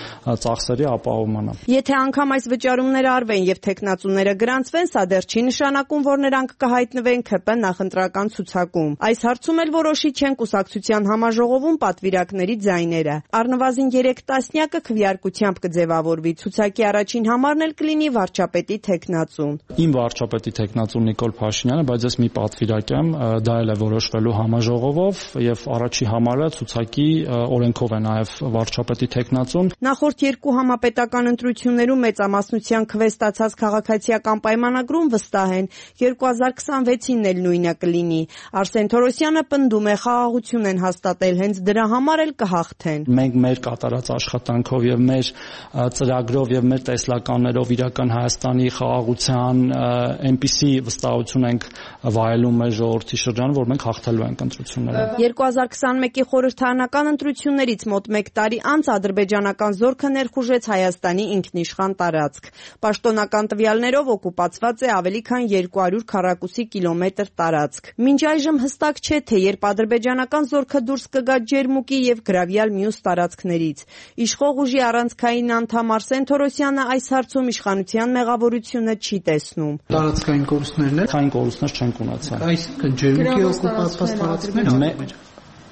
ծախսերի ապահովմանը։ Եթե անգամ այս վճարումները արվեն եւ տեխնացուները գրանցվեն, սա դեռ չի նշանակում, որ նրանք կհայտնվեն Ք Փ նախընտրական ցուցակում։ Այս հարցում էլ որոշիչ չեն կուսակցության համաժողովում պատվիրակների ձայները։ Առնվազն երեք տասնյակը քվեարկությամբ կձևավորվի։ Ցուցակի առաջին համարն էլ կլինի վարչապետի տեխնացուն։ Իմ վարչապետի տեխնացուն Նիկոլ Փաշինյանը, բայց ես մի պատվիրակ եմ, դա էլ է որոշվելու համաժողովով եւ առաջի համարը ցուցակի օրենքով է նաեւ վարչապետի տեխնացուն։ Նախորդ երկու համապետական ընտրություններում մեծամասնության քվե ստացած քաղաքացիական պայմանագրում վստահ են երկու հազար քսանվեցին էլ նույնը կլինի։ Արսեն Թորոսյանը պնդում է խաղաղություն են հաստատել, հենց դրա համար էլ կհաղթեն։ Մենք մեր կատարած աշխատանքով եւ մեր ծրագրով եւ մեր տեսլականներով իրական Հայաստանի խաղաղության այնպիսի վստահություն ենք վայելում մեր ժողովրդի շրջանում, որ մենք հաղթելու ենք ընտրությունները։ երկու հազար քսանմեկի խորհրդարանական ընտրություններից մոտ մեկ տարի անց ադրբեջանական զորքը ներխուժեց Հայաստանի ինքնիշխան տարածք։ Պաշտոնական տվյալներով օկուպացված է ավելի քան երկու հարյուր քառակուսի կիլոմետր տարածք։ Մինչ այժմ հստակ չէ, թե երբ ադրբեջանական զորքը դուրս կգա Ջերմուկի եւ գրավյալ մյուս տարածքներից։ Իշխող ուժի առանցքային անդամ Արսեն Թորոսյանը այս հարցում իշխանության մեղավորությունը չի տեսնում։ Տարածքային կորուստներն են, քային կորուստներ չենք ունեցել։ Այսինքն Ջերմուկի օկուպացված տարածքները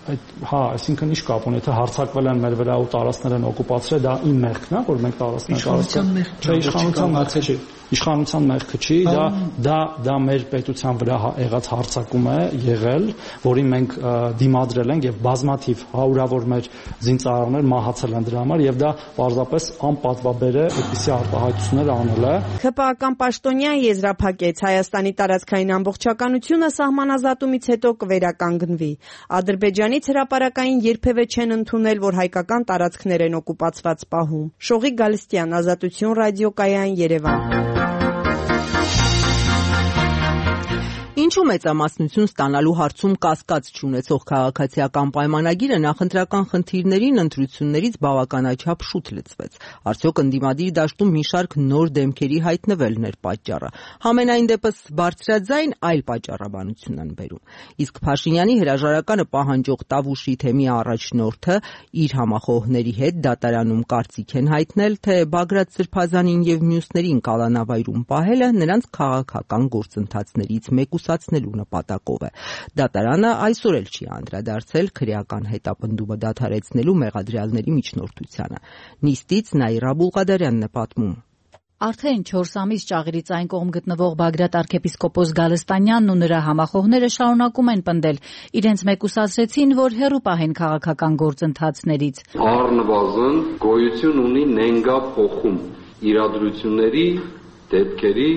Այդ հա, այսինքն ինչ կապ ունի, թե հարձակվել են մեր վրա ու տարածքներ են օկուպացրել, դա իմ մեղքն է, որ մենք տարածքներ տարածք։ Չէ, իշխանության մեղքը չի։ Իշխանության մեղքը չի, դա դա դա մեր պետության վրա եղած հարձակում է եղել, որին մենք դիմադրել ենք եւ բազմաթիվ հարյուրավոր մեր զինծառայողներ մահացել են դրա համար եւ դա պարզապես անպատվաբեր է այդպիսի արտահայտություններ անել է։ Ք Փ-ական պաշտոնյան եզրափակեց Հայաստանի տարածքային ամբողջականությունը սահմանազատումից հետո կվերականգնվի։ Ադրբեջանից հրապարակային երբևէ չեն ընդունել, որ հայկական տարածքներ են օկուպացված պահում։ Շողիկ Գալստյան, Ազատություն ռադիոկայան, Երևան։ Ինչու մեծամասնություն ստանալու հարցում կասկած չունեցող քաղաքացիական պայմանագիրը նախընտրական խնդիրներին ընտրություններից բավականաչափ շուտ լծվեց։ Արդյոք ընդդիմադիր դաշտում մի շարք նոր դեմքերի հայտնվելն էր պատճառը։ Համենայն դեպս բարձրաձայն այլ պատճառաբանություն են բերում։ Իսկ Փաշինյանի հրաժարականը պահանջող Տավուշի թեմի առաջնորդը իր համախոհների հետ դատարանում կարծիք են հայտնել, թե Բագրատ Սրբազանին եւ մյուսներին կալանավայրում պահելը նրանց քաղաքական գործընթացներից մեկուսացնելու նպատակով է։ Դատարանը այսօր էլ չի անդրադարձել քրեական հետապնդումը դադարեցնելու մեղադրյալների միջնորդությանը։ Նիստից Նաիրա Բուլղադարյանն է պատմում։ Արդեն չորս ամիս ճաղերից այն կողմ գտնվող Բագրատ arczepiskopos Գալստանյանն ու նրա համախոհները շարունակում են պնդել։ Իրենց մեկուսացրեցին, որ հեռու պահեն քաղաքական գործընթացներից։ Առնվազն գոյություն ունի նենգա փոխում իրադրությունների, դեպքերի,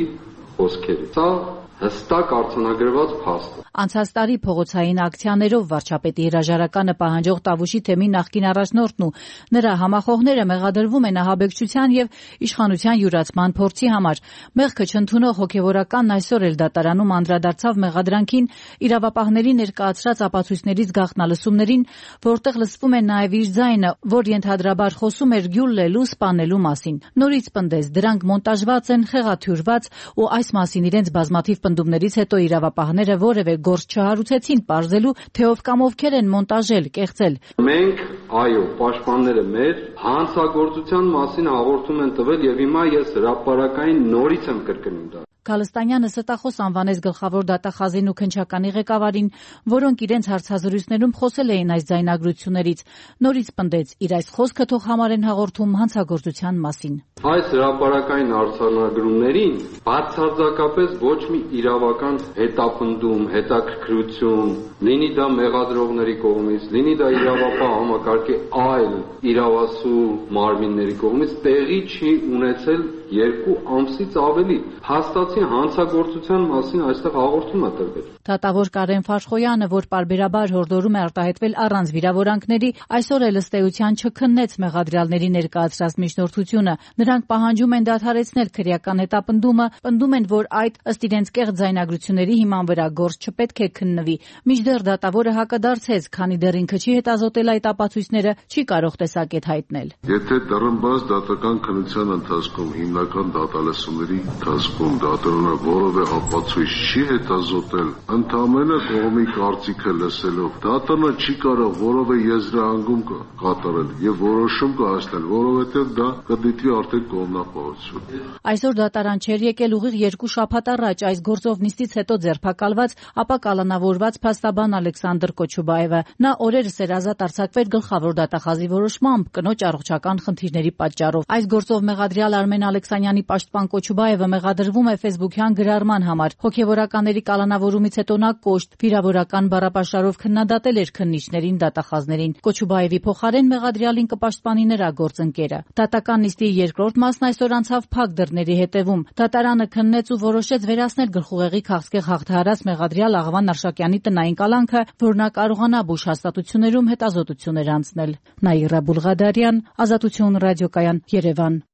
խոսքերի։ Սա հստակ արձանագրված փաստ է։ Անցած տարի փողոցային ակցիաներով վարչապետի հրաժարականը պահանջող Տավուշի թեմի նախկին առաջնորդն ու նրա համախոհները մեղադրվում են ահաբեկչության եւ իշխանության յուրացման փորձի համար։ Մեղքը չընդունող հոգեվորականն այսօր էլ դատարանում անդրադարձավ մեղադրանքին իրավապահների ներկայացրած ապացույցներից գաղտնալսումներին, որտեղ լսվում է նաեւ իր ձայնը, որ ենթադրաբար խոսում էր գյուլլելու, սպանելու մասին։ Նորից պնդեց, դրանք մոնտաժված են, խեղաթյուրված ու այս մասին իրենց բազմաթիվ պնդումներից հետո իրավապահները որևէ գործ չհարուցեցին պարզելու, թե ով կամ ովքեր են մոնտաժել, կեղծել։ Մենք, այո, պաշտպանները մեր հանցագործության մասին հաղորդում են տվել եւ հիմա ես հրապարակային նորից եմ կրկնում դա։ Գալստանյանը ստախոս անվանեց գլխավոր դատախազին ու քննչականի ղեկավարին, որոնք իրենց հարցազրույցներում խոսել էին այս ձայնագրություններից։ Նորից պնդեց, իր այս խոսքը թող համարեն հաղորդում հանցագործության մասին։ Այս հրապարակային արձանագրումներին բացարձակապես ոչ մի իրավական հետապնդում, հետաքրքրություն, լինի դա մեղադրողների կողմից, լինի դա իրավապահ համակարգի այլ իրավասու մարմինների կողմից տեղի չի ունեցել երկու ամսից ավելի։ Հաստատի հանցագործության մասին այստեղ հաղորդում է տրվել։ Դատավոր Կարեն Ֆաշխոյանը, որ պարբերաբար հորդորում է արտահայտվել առանց վիրավորանքների, այսօր էլ ըստ էության չքննեց մեղադրյալների ներկայացրած միջնորդությունը։ Նրանք պահանջում են դադարեցնել քրեական հետապնդումը, պնդում են, որ այդ ըստ իրենց կեղծ ձայնագրությունների հիման վրա գործ չպետք է քննվի։ Մինչդեռ դատավորը հակադարձեց, քանի դեռ ինքը չի հետազոտել այդ ապացույցները, չի կարող տեսակետ հայտնել։ Եթե դռնբաց դատական քննության ընթացքում հիմնական դատալսումների ընթացքում դատարանը որևէ ապացույց չի հետազոտել, ընդամենը կողմի կարծիքը լսելով, դատարանը չի կարող որևէ եզրահանգում կատարել եւ որոշում կայացնել, որովհետեւ դա կդիտվի արդեն կողմնապահություն։ Այսօր դատարան չէր եկել ուղիղ երկու շաբաթ առաջ այս գործով նիստից հետո ձերբակալված, ապա կալանավորված փաստաբան Ալեքսանդր Կոչուբաևը։ Նա օրերս էր ազատ արձակվել գլխավոր դատախազի որոշմամբ կնոջ առողջական խնդիրների պատճառով։ Այս գործով մեղադրյալ Արմեն Ալեքսանյանի պաշտպան Կոչուբաևը մեղադրվում է ֆեյսբուքյան գրառման համար։ Հոգևորականների կալանավորումից հետո նա կոշտ վիրավորական բառապաշարով քննադատել էր քննիչներին, դատախազներին։ Կոչուբաևի փոխարեն մեղադրյալին կպաշտպանի նրա գործընկերը։ Դատական նիստի երկրորդ մասն այսօր անցավ փակ դռների հետևում։ Դատարանը քննեց ու որոշեց վերացնել գլխուղեղի քաղցկեղ հաղթահարած մեղադրյալ Աղվան Արշակյանի տնային կալանքը, որ նա կարողանա բուժ հաստատություններում հետազոտություններ անցնել։ Նաիրա Բուլղադարյան, Ազատություն ռադիոկայան, Երևան։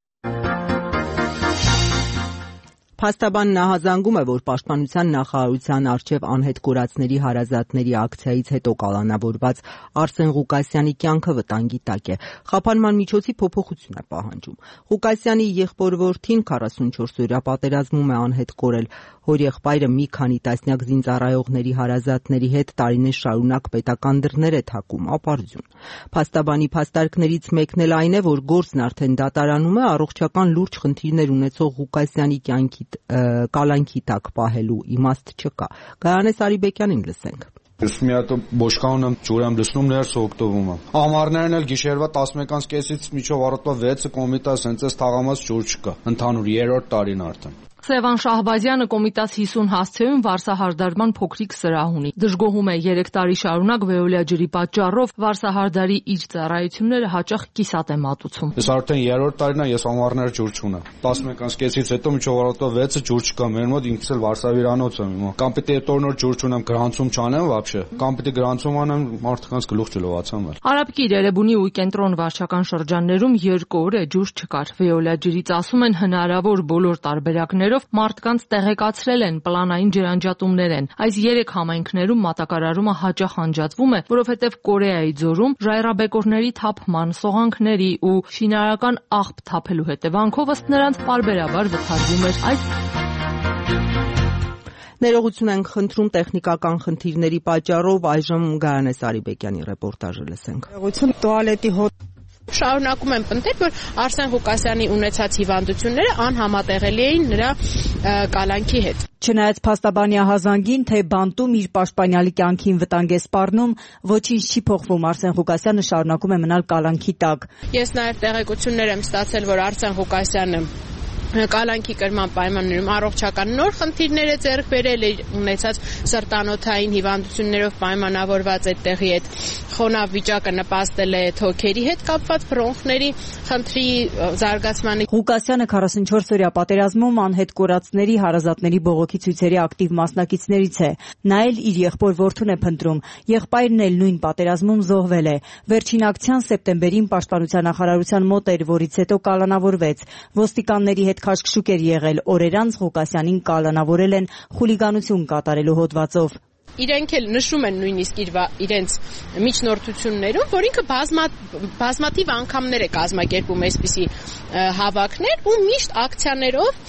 Փաստաբանն նահանգում է, որ Պաշտպանության նախարարության առջև անհետ կորածների հարազատների ակցիայից հետո կալանավորված Արսեն Ղուկասյանի կյանքը վտանգի տակ է։ Խափանման միջոցի փոփոխություն է պահանջում։ Ղուկասյանի եղբոր-որդին քառասունչորս-օրյա պատերազմում է անհետ կորել։ Հորեղբայրը մի քանի տասնյակ զինծառայողների հարազատների հետ տարիներ շարունակ պետական դռներ է թակում, ապարդյուն։ Փաստաբանի փաստարկներից մեկն էլ այն է, որ գործն արդեն դատարանում է, առողջական լուրջ խնդիրներ ունեցող Ղուկասյանի կյանքի կալանքի տակ պահելու իմաստ չկա։ Գայանե Սարիբեկյանին լսենք։ Ես մի հատ բոշկանը ջուր եմ լցնում, ներս օգտվում եմ։ Ամառներն էլ գիշերվա տասնմեկից կեսից մինչև առավոտվա վեցը կոմիտաս հենց այս թաղամաս ջուր չկա։ Ընդհանուր երրորդ տարին արդեն։ Սևան Շահբազյանը կոմիտաս հիսուն հասցեում վարսահարդարման փոքրիկ սրահ ունի։ Դժգոհում է երեք տարի շարունակ վեոլիա ջրի պատճառով վարսահարդարի իր ծառայությունները հաճախ կիսատ է մատուցում։ Ես արդեն երրորդ տարին եմ, ես ամառներ ջուր չունեմ։ տասնմեկից կեսից հետո մինչև առավոտվա վեցը ջուր չկա։ Մեր մոտ ինքս էլ վարսավիրանոց եմ հիմա։ Կամ պիտի այդ օրնոր ջուր չունեմ, գրանցում չանեմ вообще, կամ պիտի գրանցում անեմ, մարդկանց գլուխ չլողացամ էլ։ Արաբկիր Երևանի ու կենտրոն վարչական շրջաններում երկու օր է ջուր չկար։ Վեոլիա ջրից ասում են հնարավոր բոլոր տարբերակներով մարդկանց տեղեկացրել են, պլանային ջրանջատումներ են։ Այս երեք համայնքներում մատակարարումը հաճախ անջատվում է, որովհետև Կորեայի ձորում ժայռաբեկորների թափման, սողանքների ու շինարարական աղբ թափելու հետևանքով ըստ նրանց պարբերաբար վթարվում էր այս Ներողություն ենք խնդրում տեխնիկական խնդիրների պատճառով, այժմ Գայանե Սարիբեկյանի ռեպորտաժը լսենք։ Ներողություն տուալետի հոտ Շարունակում են պնդել, որ Արսեն Ղուկասյանի ունեցած հիվանդությունները անհամատեղելի էին նրա կալանքի հետ։ Չնայած փաստաբանի ահազանգին, թե բանտում իր պաշտպանյալի կյանքին վտանգ է սպառնում, ոչինչ չի փոխվում, Արսեն Ղուկասյանը շարունակում է մնալ կալանքի տակ։ Ես նաև տեղեկություններ եմ ստացել, որ Արսեն Ղուկասյանը կալանքի կրման պայմաններում առողջական նոր խնդիրներ է ձեռք բերել, ունեցած սրտանոթային հիվանդություններով պայմանավորված այդտեղի այդ խոնավ վիճակը նպաստել է թոքերի հետ կապված բրոնխների խնդրի զարգացմանը։ Ղուկասյանը քառասունչորս-օրյա պատերազմում անհետ կորածների հարազատների բողոքի ցույցերի ակտիվ մասնակիցներից է։ Նա էլ իր եղբոր-որդուն է փնտրում։ Եղբայրն էլ նույն պատերազմում զոհվել է։ Վերջին ակցիան սեպտեմբերին Պաշտպանության նախարարության մոտ էր, որից հետո կալանավորվեց։ Ոստիկանների հետ քաշքշուկ էր եղել, օրեր անց Ղուկասյանին կալանավորել են խուլիգանություն կատարելու հոդվածով։ Իրենք էլ նշում են նույնիսկ իր իրենց միջնորդություններում, որ ինքը բազմա, բազմաթիվ անգամներ է կազմակերպում այսպիսի հավաքներ ու միշտ ակցիաներով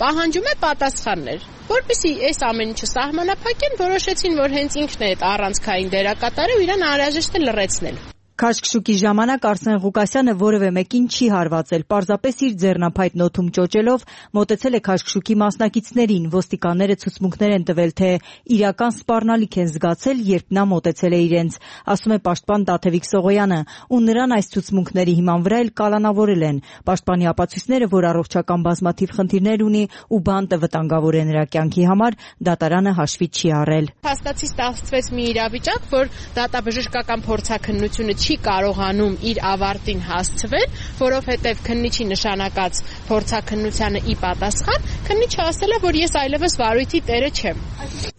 պահանջում է պատասխաններ, որպեսզի այս ամեն ինչը սահմանափակեն, որոշեցին, որ հենց ինքն է այդ առանցքային դերակատարը ու իրան անհրաժեշտ է լռեցնել։ Քաշքշուկի ժամանակ Արսեն Ղուկասյանը որևէ մեկին չի հարվածել, պարզապես իր ձեռնափայտ նոթում ճոճելով մոտեցել է քաշքշուկի մասնակիցներին։ Ոստիկանները ցուցմունքներ են տվել, թե իրական սպառնալիք են զգացել, երբ նա մոտեցել է իրենց, ասում է պաշտպան Տաթևիկ Սողոյանը, ու նրան այս ցուցմունքների հիման վրա էլ կալանավորել են։ Պաշտպանի ապացույցները, որ առողջական բազմաթիվ խնդիրներ ունի ու բանտը վտանգավոր է նրա կյանքի համար, դատարանը հաշվի չի առել։ Հաստատի ստացվեց մի իրավիճակ, որ դատաբժշկական փորձաքննությունը չի կարողանում իր ավարտին հասցվել, որովհետև քննիչի նշանակած փորձաքննությանը ի պատասխան քննիչը ասել է, որ ես այլևս վարույթի տերը չեմ։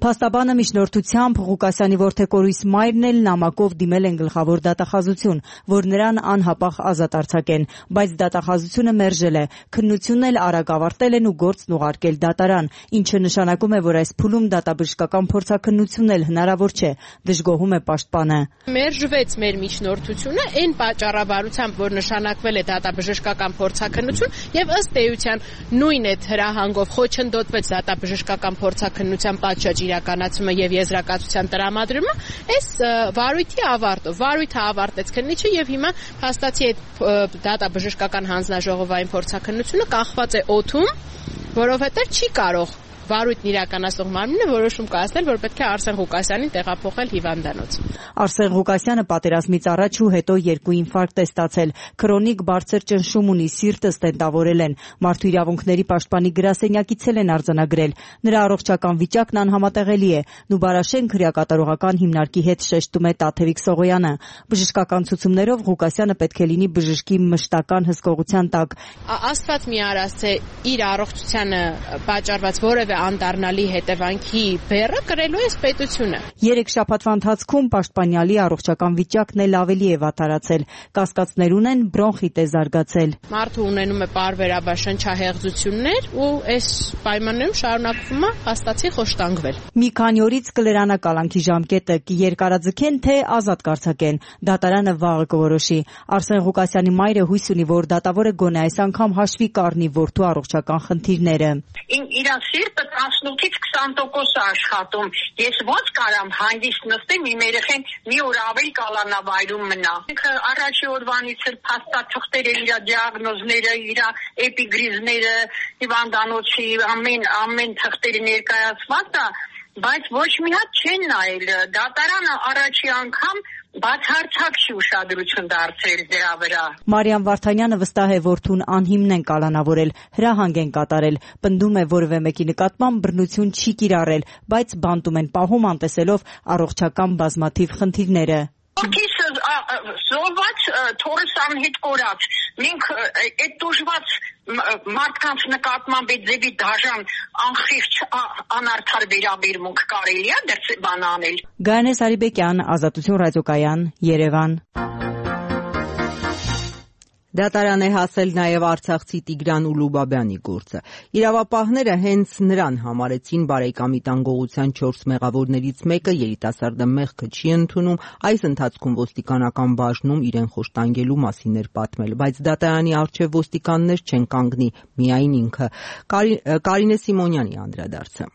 Փաստաբանը միջնորդությամբ Ղուկասյանի որդեկորույս մայրն էլ նամակով դիմել են գլխավոր դատախազություն, որ նրան անհապաղ ազատ արձակեն, բայց դատախազությունը մերժել է։ Քննությունն էլ արագ ավարտել են ու գործն ուղարկել դատարան, ինչը նշանակում է, որ այս փուլում դատաբժշկական փորձաքննությունն էլ հնարավոր չէ, դժգոհում է պաշտպանը։ Մերժվեց մեր միջնորդությունը այն պատճառաբարությամբ, որ նշանակվել է դատաբժշկական փորձաքննություն եւ ըստ էության նույն այդ հրահանգով խոչընդոտվեց դատաբժշկական փորձաքննության պատշաճ իրականացումը եւ եզրակացության տրամադրումը, այս վարույթի ավարտով վարույթը ավարտեց քննիչը եւ հիմա հաստատի այդ դատաբժշկական հանձնաժողովային փորձաքննությունը կախված է օդում, որովհետեւ չի կարող վարույթն իրականացող մարմինը որոշում կայացնել, որ պետք է Արսեն Ղուկասյանին տեղափոխել հիվանդանոց։ Արսեն Ղուկասյանը պատերազմից առաջ ու հետո երկու ինֆարկտ է ստացել, քրոնիկ բարձր ճնշում ունի, սիրտը ստենտավորել են, մարդու իրավունքների պաշտպանի գրասենյակից են արձանագրել, նրա առողջական վիճակն անհամատեղելի է, Նուբարաշեն քրեակատարողական հիմնարկի հետ շեշտում է Տաթևիկ Սողոյանը։ Բժշկական ցուցումներով Ղուկասյանը պետք է լինի բժշկի մշտական հսկողության տակ։ Աստված մի արած թե իր առողջությանը պատճառված որևէ անդառնալի հետևանքի բեռը կրելու է պետությունը։ Երեք շաբաթվա ընթացքում պաշտպանյալի առողջական վիճակն էլ ավելի է վատարացել, կասկածներ ունեն, բրոնխիտ է զարգացել։ Մարդը ունենում է պարբերաբար շնչահեղձություններ ու այս պայմաններում շարունակվում է հաստատի խոշտանգվել։ Մի քանի օրից կլրանա կալանքի ժամկետը, կերկարաձգեն թե ազատ կարձակեն, դատարանը վաղը կորոշի։ Արսեն Ղուկասյանի մայրը հույս ունի, որ դատավորը գոնե այս անգամ հաշվի կառնի որդու առողջական խնդիրները։ Իրան սիրտը տասնութից քսան տոկոս է աշխատում։ Ես ո՞նց կարամ հանգիստ նստեմ, իմ երեխեն մի օր ավել կալանավայրում մնա։ Ինքը առաջի օրվանից էլ փաստաթղթերը, իր դիագնոզները, իր էպիգրիզները, հիվանդանոցի ամեն ամեն թղթերը ներկայացված է, բայց ոչ մի հատ չեն նայել։ Դատարանը առաջի անգամ բացարձակ չի ուշադրություն դարձրել դրա վրա։ Մարիամ Վարդանյանը վստահ է, որդուն անհիմն են կալանավորել, հրահանգ են կատարել, պնդում է որևէ մեկի նկատմամբ բռնություն չի կիրառել, բայց բանտում են պահում անտեսելով առողջական բազմաթիվ խնդիրները։ Որդիս զոհված, թորս անհետ կորած։ Մենք այդ դժվար մարդկանց նկատմամբ այդ ձևի դաժան անխիղճ անարդար վերաբերմունք կարելի է դեռ բան անել։ Գայանե Սարիբեկյան, Ազատություն ռադիոկայան, Երևան։ Դատարան է հասել նաև արցախցի Տիգրան Ուլուբաբյանի գործը։ Իրավապահները հենց նրան համարեցին բարեկամի տան գողության չորս մեղավորներից մեկը, երիտասարդը մեղքը չի ընդունում, այս ընթացքում ոստիկանական բաժնում իրեն խոշտանգելու մասին էր պատմել, բայց դատարանի առջև ոստիկաններ չեն կանգնի, միայն ինքը։ Կարինե Սիմոնյանի անդրադարձը։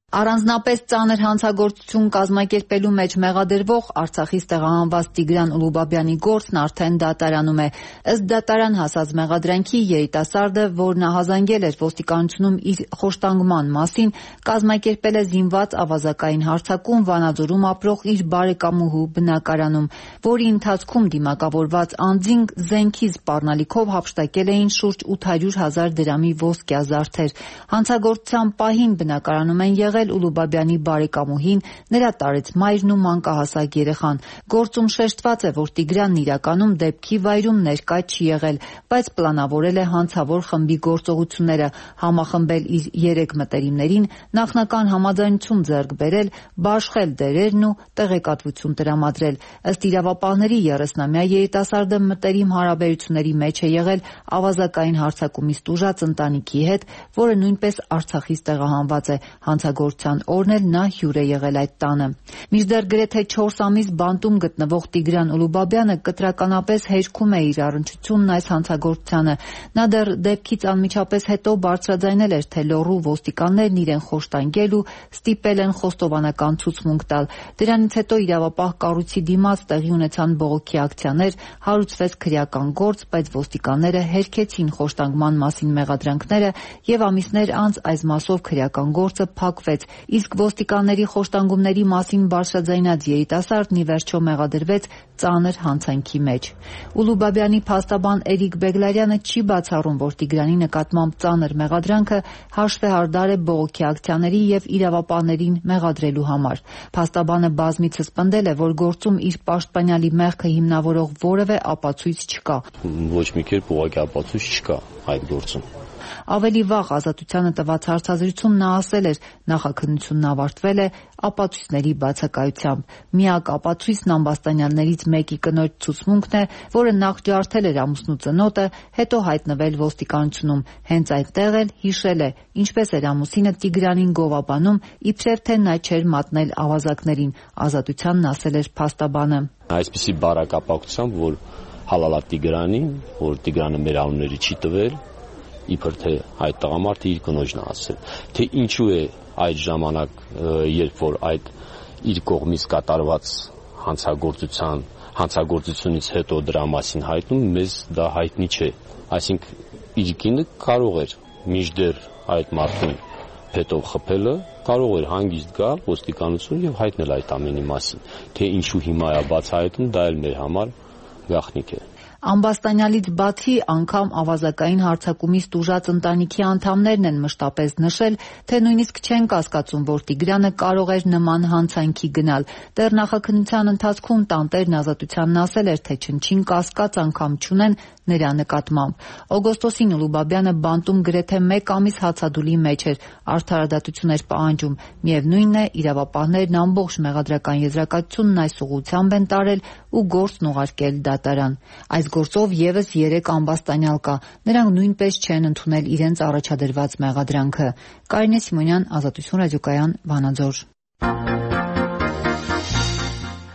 Առանձնապես ծանր հանցագործություն կազմակերպելու մեջ մեղադրվող Արցախից տեղահանված Տիգրան Ուլուբաբյանի գործն արդեն դատարանում է։ Ըստ դատարան հասած մեղադրանքի երիտասարդը, որն ահազանգել էր ոստիկանությունում իր խոշտանգման մասին, կազմակերպել է զինված ավազակային հարձակում Վանաձորում ապրող իր բարեկամուհու բնակարանում, որի ընթացքում դիմակավորված անձին զենքի սպառնալիքով հափշտակել էին շուրջ ութ հարյուր հազար դրամի ոսկյա զարդեր։ Հանցագործության պահին բնակարանում են եղել Ուլուբաբյանի բարեկամուհին, նրա տարեց մայրն ու մանկահասակ երեխան։ Գործում շեշտված է, որ Տիգրանն իրականում դեպքի վայրում ներկա չի եղել, բայց պլանավորել է հանցավոր խմբի գործողությունները, համախմբել իր երեք մտերիմներին, նախնական համաձայնություն ձեռք բերել, բաշխել դերերն ու տեղեկատվություն տրամադրել։ Ըստ իրավապահների երեսնամյա երիտասարդը մտերիմ հարաբերությունների մեջ է եղել ավազակային հարձակումից տուժած ընտանիքի հետ, որը նույնպես Արցախից տեղահանված է։ Հանցագործ հանցագործության օրն էլ նա հյուր է եղել այդ տանը։ Մինչդեռ գրեթե չորս ամիս բանտում գտնվող Տիգրան Ուլուբաբյանը կտրականապես հերքում է իր առնչությունն այս հանցագործությանը։ Նա դեռ դեպքից անմիջապես հետո բարձրաձայնել էր, թե լոռու ոստիկաններն իրեն խոշտանգել ու ստիպել են խոստովանական ցուցմունք տալ։ Դրանից հետո իրավապահ կառույցի դիմաց տեղի ունեցան բողոքի ակցիաներ, հարուցվեց քրեական գործ, բայց ոստիկանները հերքեցին խոշտանգման մասին մեղադրանքները եւ ամիսներ անց այս մասով քրեական գործը փակվեց, իսկ ոստիկանների խոշտանգումների մասին բարձրաձայնած երիտասարդն ի վերջո մեղադրվեց ծանր հանցանքի մեջ։ Ուլուբաբյանի փաստաբան Էրիկ Բեգլարյանը չի բացառում, որ Տիգրանի նկատմամբ ծանր մեղադրանքը հաշվեհարդար է բողոքի ակցիաների եւ իրավապահներին մեղադրելու համար։ Փաստաբանը բազմիցս պնդել է, որ գործում իր պաշտպանյալի մեղքը հիմնավորող որևէ ապացույց չկա։ Ոչ մի կերպ ուղղակի ապացույց չկա այդ գործում։ Ավելի վաղ Ազատությանը տված հարցազրույցում նա ասել էր, նախաքննությունն ավարտվել է ապացույցների բացակայությամբ։ Միակ ապացույցն ամբաստանյալներից մեկի կնոջ ցուցմունքն է, որը նախ ջարդել էր ամուսնու ծնոտը, հետո հայտնվել ոստիկանությունում։ Հենց այդտեղ էլ հիշել է, ինչպես էր ամուսինը Տիգրանին գովաբանում, իբրև թե նա չէր մատնել ավազակներին։ Ազատությանն ասել էր փաստաբանը։ Այսպիսի բարակապակցությամբ, որ հալալա Տիգրանին, որ Տիգրանը մեր անունների չի տվել, իբր թե այդ տղամարդը իր կնոջն է ասել, թե ինչու է այդ ժամանակ, երբ որ այդ իր կողմից կատարված հանցագործության հանցագործությունից հետո դրա մասին հայտնում, մեզ դա հայտնի չէ։ Այսինքն իր կինը կարող էր մինչդեռ այդ մարդուն փետով խփելը, կարող էր հանգիստ գալ ոստիկանություն եւ հայտնել այդ ամենի մասին, թե ինչու հիմա է բացահայտում, դա էլ մեր համար գաղտնիք է։ Ամբաստանյալից բացի անգամ ավազակային հարձակումից տուժած ընտանիքի անդամներն են մշտապես նշել, թե նույնիսկ չեն կասկածում, որ Տիգրանը կարող էր նման հանցանքի գնալ։ Դեռ նախաքննության ընթացքում տանտերն Ազատությանն ասել էր, թե չնչին կասկած անգամ չունեն նրա նկատմամբ։ Օգոստոսին Ուլուբաբյանը բանտում գրեթե մեկ ամիս հացադուլի մեջ էր, արդարադատություն էր պահանջում։ Միևնույնն է, իրավապահներն ամբողջ մեղադրական եզրակացությունն այս ուղղությամբ են տարել ու գործն ուղարկել դատարան։ Այս գործով եւս երեք ամբաստանյալ կա։ Նրանք նույնպես չեն ընդունել իրենց առաջադրված մեղադրանքը։ Կարինե Սիմոնյան, Ազատություն ռադիոկայան, Վանաձոր։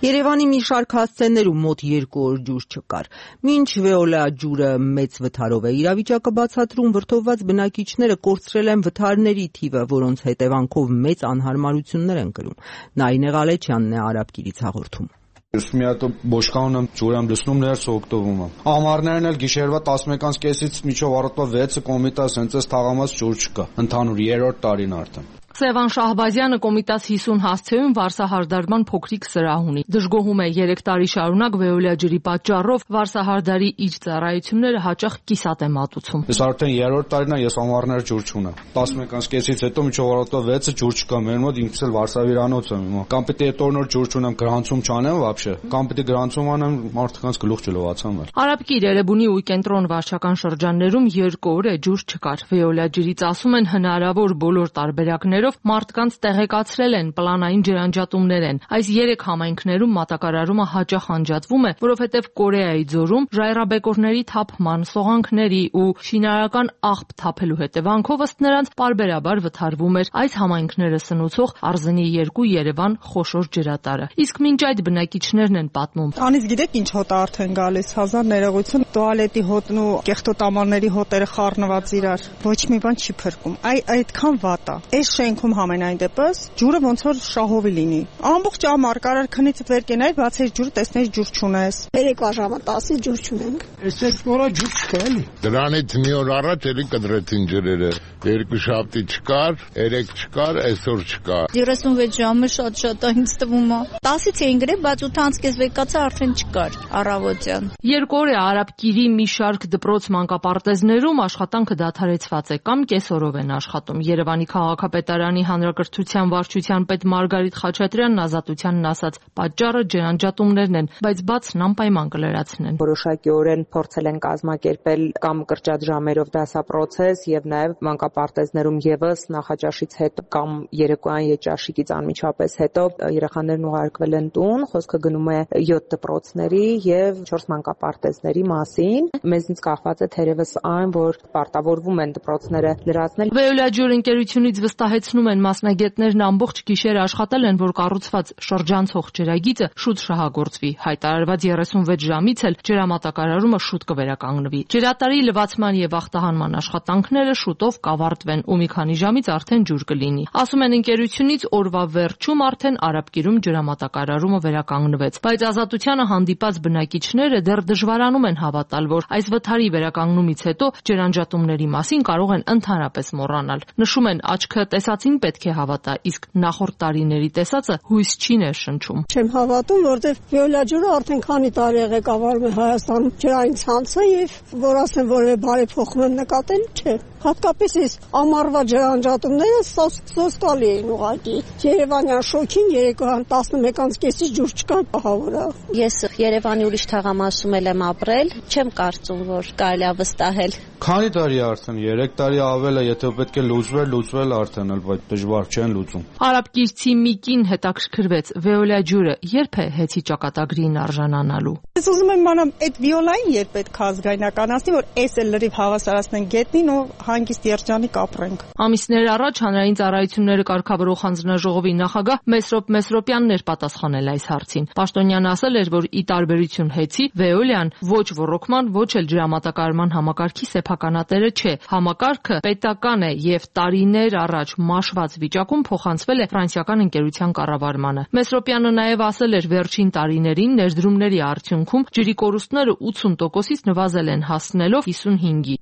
Երևանի մի շարք հասցեներում մոտ երկու օր ջուր չկար։ Մինչ Վեոլա ջուրը մեծ վթարով է իրավիճակը բացատրում, վրդովված բնակիչները կորցրել են վթարների թիվը, որոնց հետևանքով մեծ անհարմարություններ են կրում։ Նայինե Ղալեչյանն է Արաբկիրից հաղորդում։ Ես մի հատ բոշկանում եմ, ջուր եմ լցնում, ներս օգտվում եմ։ Ամառներն էլ գիշերվա տասնմեկից կեսից մինչև առավոտվա վեցը կոմիտաս հենց այս թաղամաս ջուր չկա։ Ընդհանուր երրորդ տարին արդեն։ Սևան Շահբազյանը Կոմիտաս հիսուն հասցեում վարսահարդարման փոքրիկ սրահ ունի։ Դժգոհում է երեք տարի շարունակ Վեոլա ջրի պատճառով վարսահարդարի իր ծառայությունները հաճախ կիսատ է մատուցում։ Ես արդեն երրորդ տարին եմ, ես ամառներ ջուր չունեմ։ տասնմեկից կեսից հետո մինչև առավոտվա վեցը ջուր չկա։ Մեր մոտ ինքս էլ վարսավիրանոց եմ հիմա։ Կամ պիտի այդ օրնոր ջուր չունեմ, գրանցում չանեմ вообще, կամ պիտի գրանցում անեմ, մարդկանց գլուխ չլողացան։ Արաբկիր, Էրեբունի ու Կենտրոն վարչական շրջաններում երկու օր է ջուր չկար։ Վեոլա ջրից ասում են հնարավոր բոլոր տարբերակներով մարդկանց տեղեկացրել են, պլանային ջրանջատումներ են։ Այս երեք համայնքներում մատակարարումը հաճախ անջատվում է, որովհետև Կորեայի ձորում ժայռաբեկորների թափման, սողանքների ու շինարարական աղբ թափելու հետևանքով ըստ նրանց պարբերաբար վթարվում էր այս համայնքները սնուցող Արզնի երկու Երևան խոշոր ջրատարը։ Իսկ մինչ այդ բնակիչներն են պատմում. Անից գիտեք ինչ հոտ արդեն գալիս, հազար ներողություն, տուալետի հոտն ու կեղտոտամանների հոտերը խառնված իրար։ Ոչ մի բան չի փրկում։ Այ այդքան վատ է։ Այս շենքում համենայն դեպս ջուրը ոնց որ շահովի լինի։ Ամբողջ ամառ կարար քնից վեր կենայր, բացես ջուր, տեսնես ջուր չունես։ Երեկվա ժամը տասը ջուր չունենք։ Այսպես նորա ջուր չկա էլի։ Դրանից մի օր առաջ էլի կդրեցին ջրերը։ Երկու շաբթի չկար, երեք չկար, այսօր չկա։ երեսունվեց ժամը շատ-շատ է ինձ թվում է։ տասից էին գրել, բայց ութանց կես վեկացա արդեն չկար առավոտյան։ Երկու օր է Արաբկիրի մի շարք դպրոց մանկապարտեզներում աշխատանքը դադարեցված է կամ կեսօրով են աշխատում։ Երևանի քաղաքապետարանի հանրակրթության վարչության պետ Մարգարիտ Խաչատրյանն Ազատությանն ասաց, պատճառը ջրանջատումներն են, բայց բացն անպայման կլրացնեն։ Որոշակիորեն փորձել են կազմակերպել կամ կրճատ ժամերով դասապրոցես եւ նաեւ մանկապարտեզներում եւս նախաճաշից հետո կամ երեկոյան յետճաշիկից անմիջապես հետո երեխաներն ուղարկվել են տուն, խոսքը գնում է յոթ դպրոցների եւ չորս մանկապարտեզների մասին։ Մեզնից կախված է թերևս այն, որ պարտավորվում են դպրոցները լրացնել։ Վեոլա ջուր ընկերությունից վստահեցնում Ավելացնում են մասնագետներն ամբողջ գիշեր աշխատել են, որ կառուցված շրջանցող ջրագիծը շուտ շահագործվի։ Հայտարարված երեսունվեց ժամից էլ ջրամատակարարումը շուտ կվերականգնվի։ Ջրատարի լվացման եւ ախտահանման աշխատանքները շուտով կավարտվեն ու մի քանի ժամից արդեն ջուր կլինի։ Ասում են ընկերությունից օրվա վերջում արդեն Արաբկիրում ջրամատակարարումը վերականգնվեց, բայց Ազատությանը հանդիպած բնակիչները դեռ դժվարանում են հավատալ, որ այս վթարի վերականգնումից հետո ջրանջատումների մասին կարող են ընդհանրապես մոռանալ։ Նշում են, աչքը տեսածին պետք է հավատա, իսկ նախորդ տարիների տեսածը հույս չի ներշնչում։ Չեմ հավատում, որտեղ Վիոլա ջուրը արդեն քանի տարի է ղեկավարում է Հայաստանում ջրային ցանցը եւ որ ասեմ որևէ բարեփոխում նկատել չէ։ Հատկապես այս ամառվա ջրանջատումները սոսկալի էին ուղղակի։ Երևանյան շոքին երեկոյան տասնմեկից կեսից ջուր չկար պահավորը։ Ես Երևանի ուրիշ թաղամասում եմ ապրել, չեմ կարծում, որ կարելի է վստահել։ Քանի տարի արդեն, երեք տարի ավել է, եթե պետք է լուծվել, լուծվել արդեն, բայց դժվար չեն լուծում։ Արաբկիրցի Միկին հետաքրքրվեց Վիոլա ջուրը երբ է հեծի ճակատագրին արժանանալու։ Ես ուզում եմ իմանամ այդ Վիոլային երբ պետք է ազգայնականացնի, որ էս էլ լրիվ հավասարացնեն գետնին ու հանգիստ երջանիկ ապրենք։ Ամիսներ առաջ հանրային ծառայությունները կարգավորող հանձնաժողովի նախագահ Մեսրոպ Մեսրոպյանն էր պատասխանել այս հարցին։ Պաշտոնյանը ասել էր, որ ի տարբերություն հեծի, Վիոլան ոչ ռոռոկման, ոչ էլ ջրամատակարարման համակարգի սեփականատերը չէ։ Համակարգը պետական է եւ տարիներ առաջ մաշված վիճակում փոխանցվել է ֆրանսիական ընկերության կառավարմանը։ Մեսրոպյանը նաեւ ասել էր, վերջին տարիներին ներդրումների արդյունքում ջրի կորուստները ութսուն տոկոսից նվազել են, հասնելով հիսունհինգի։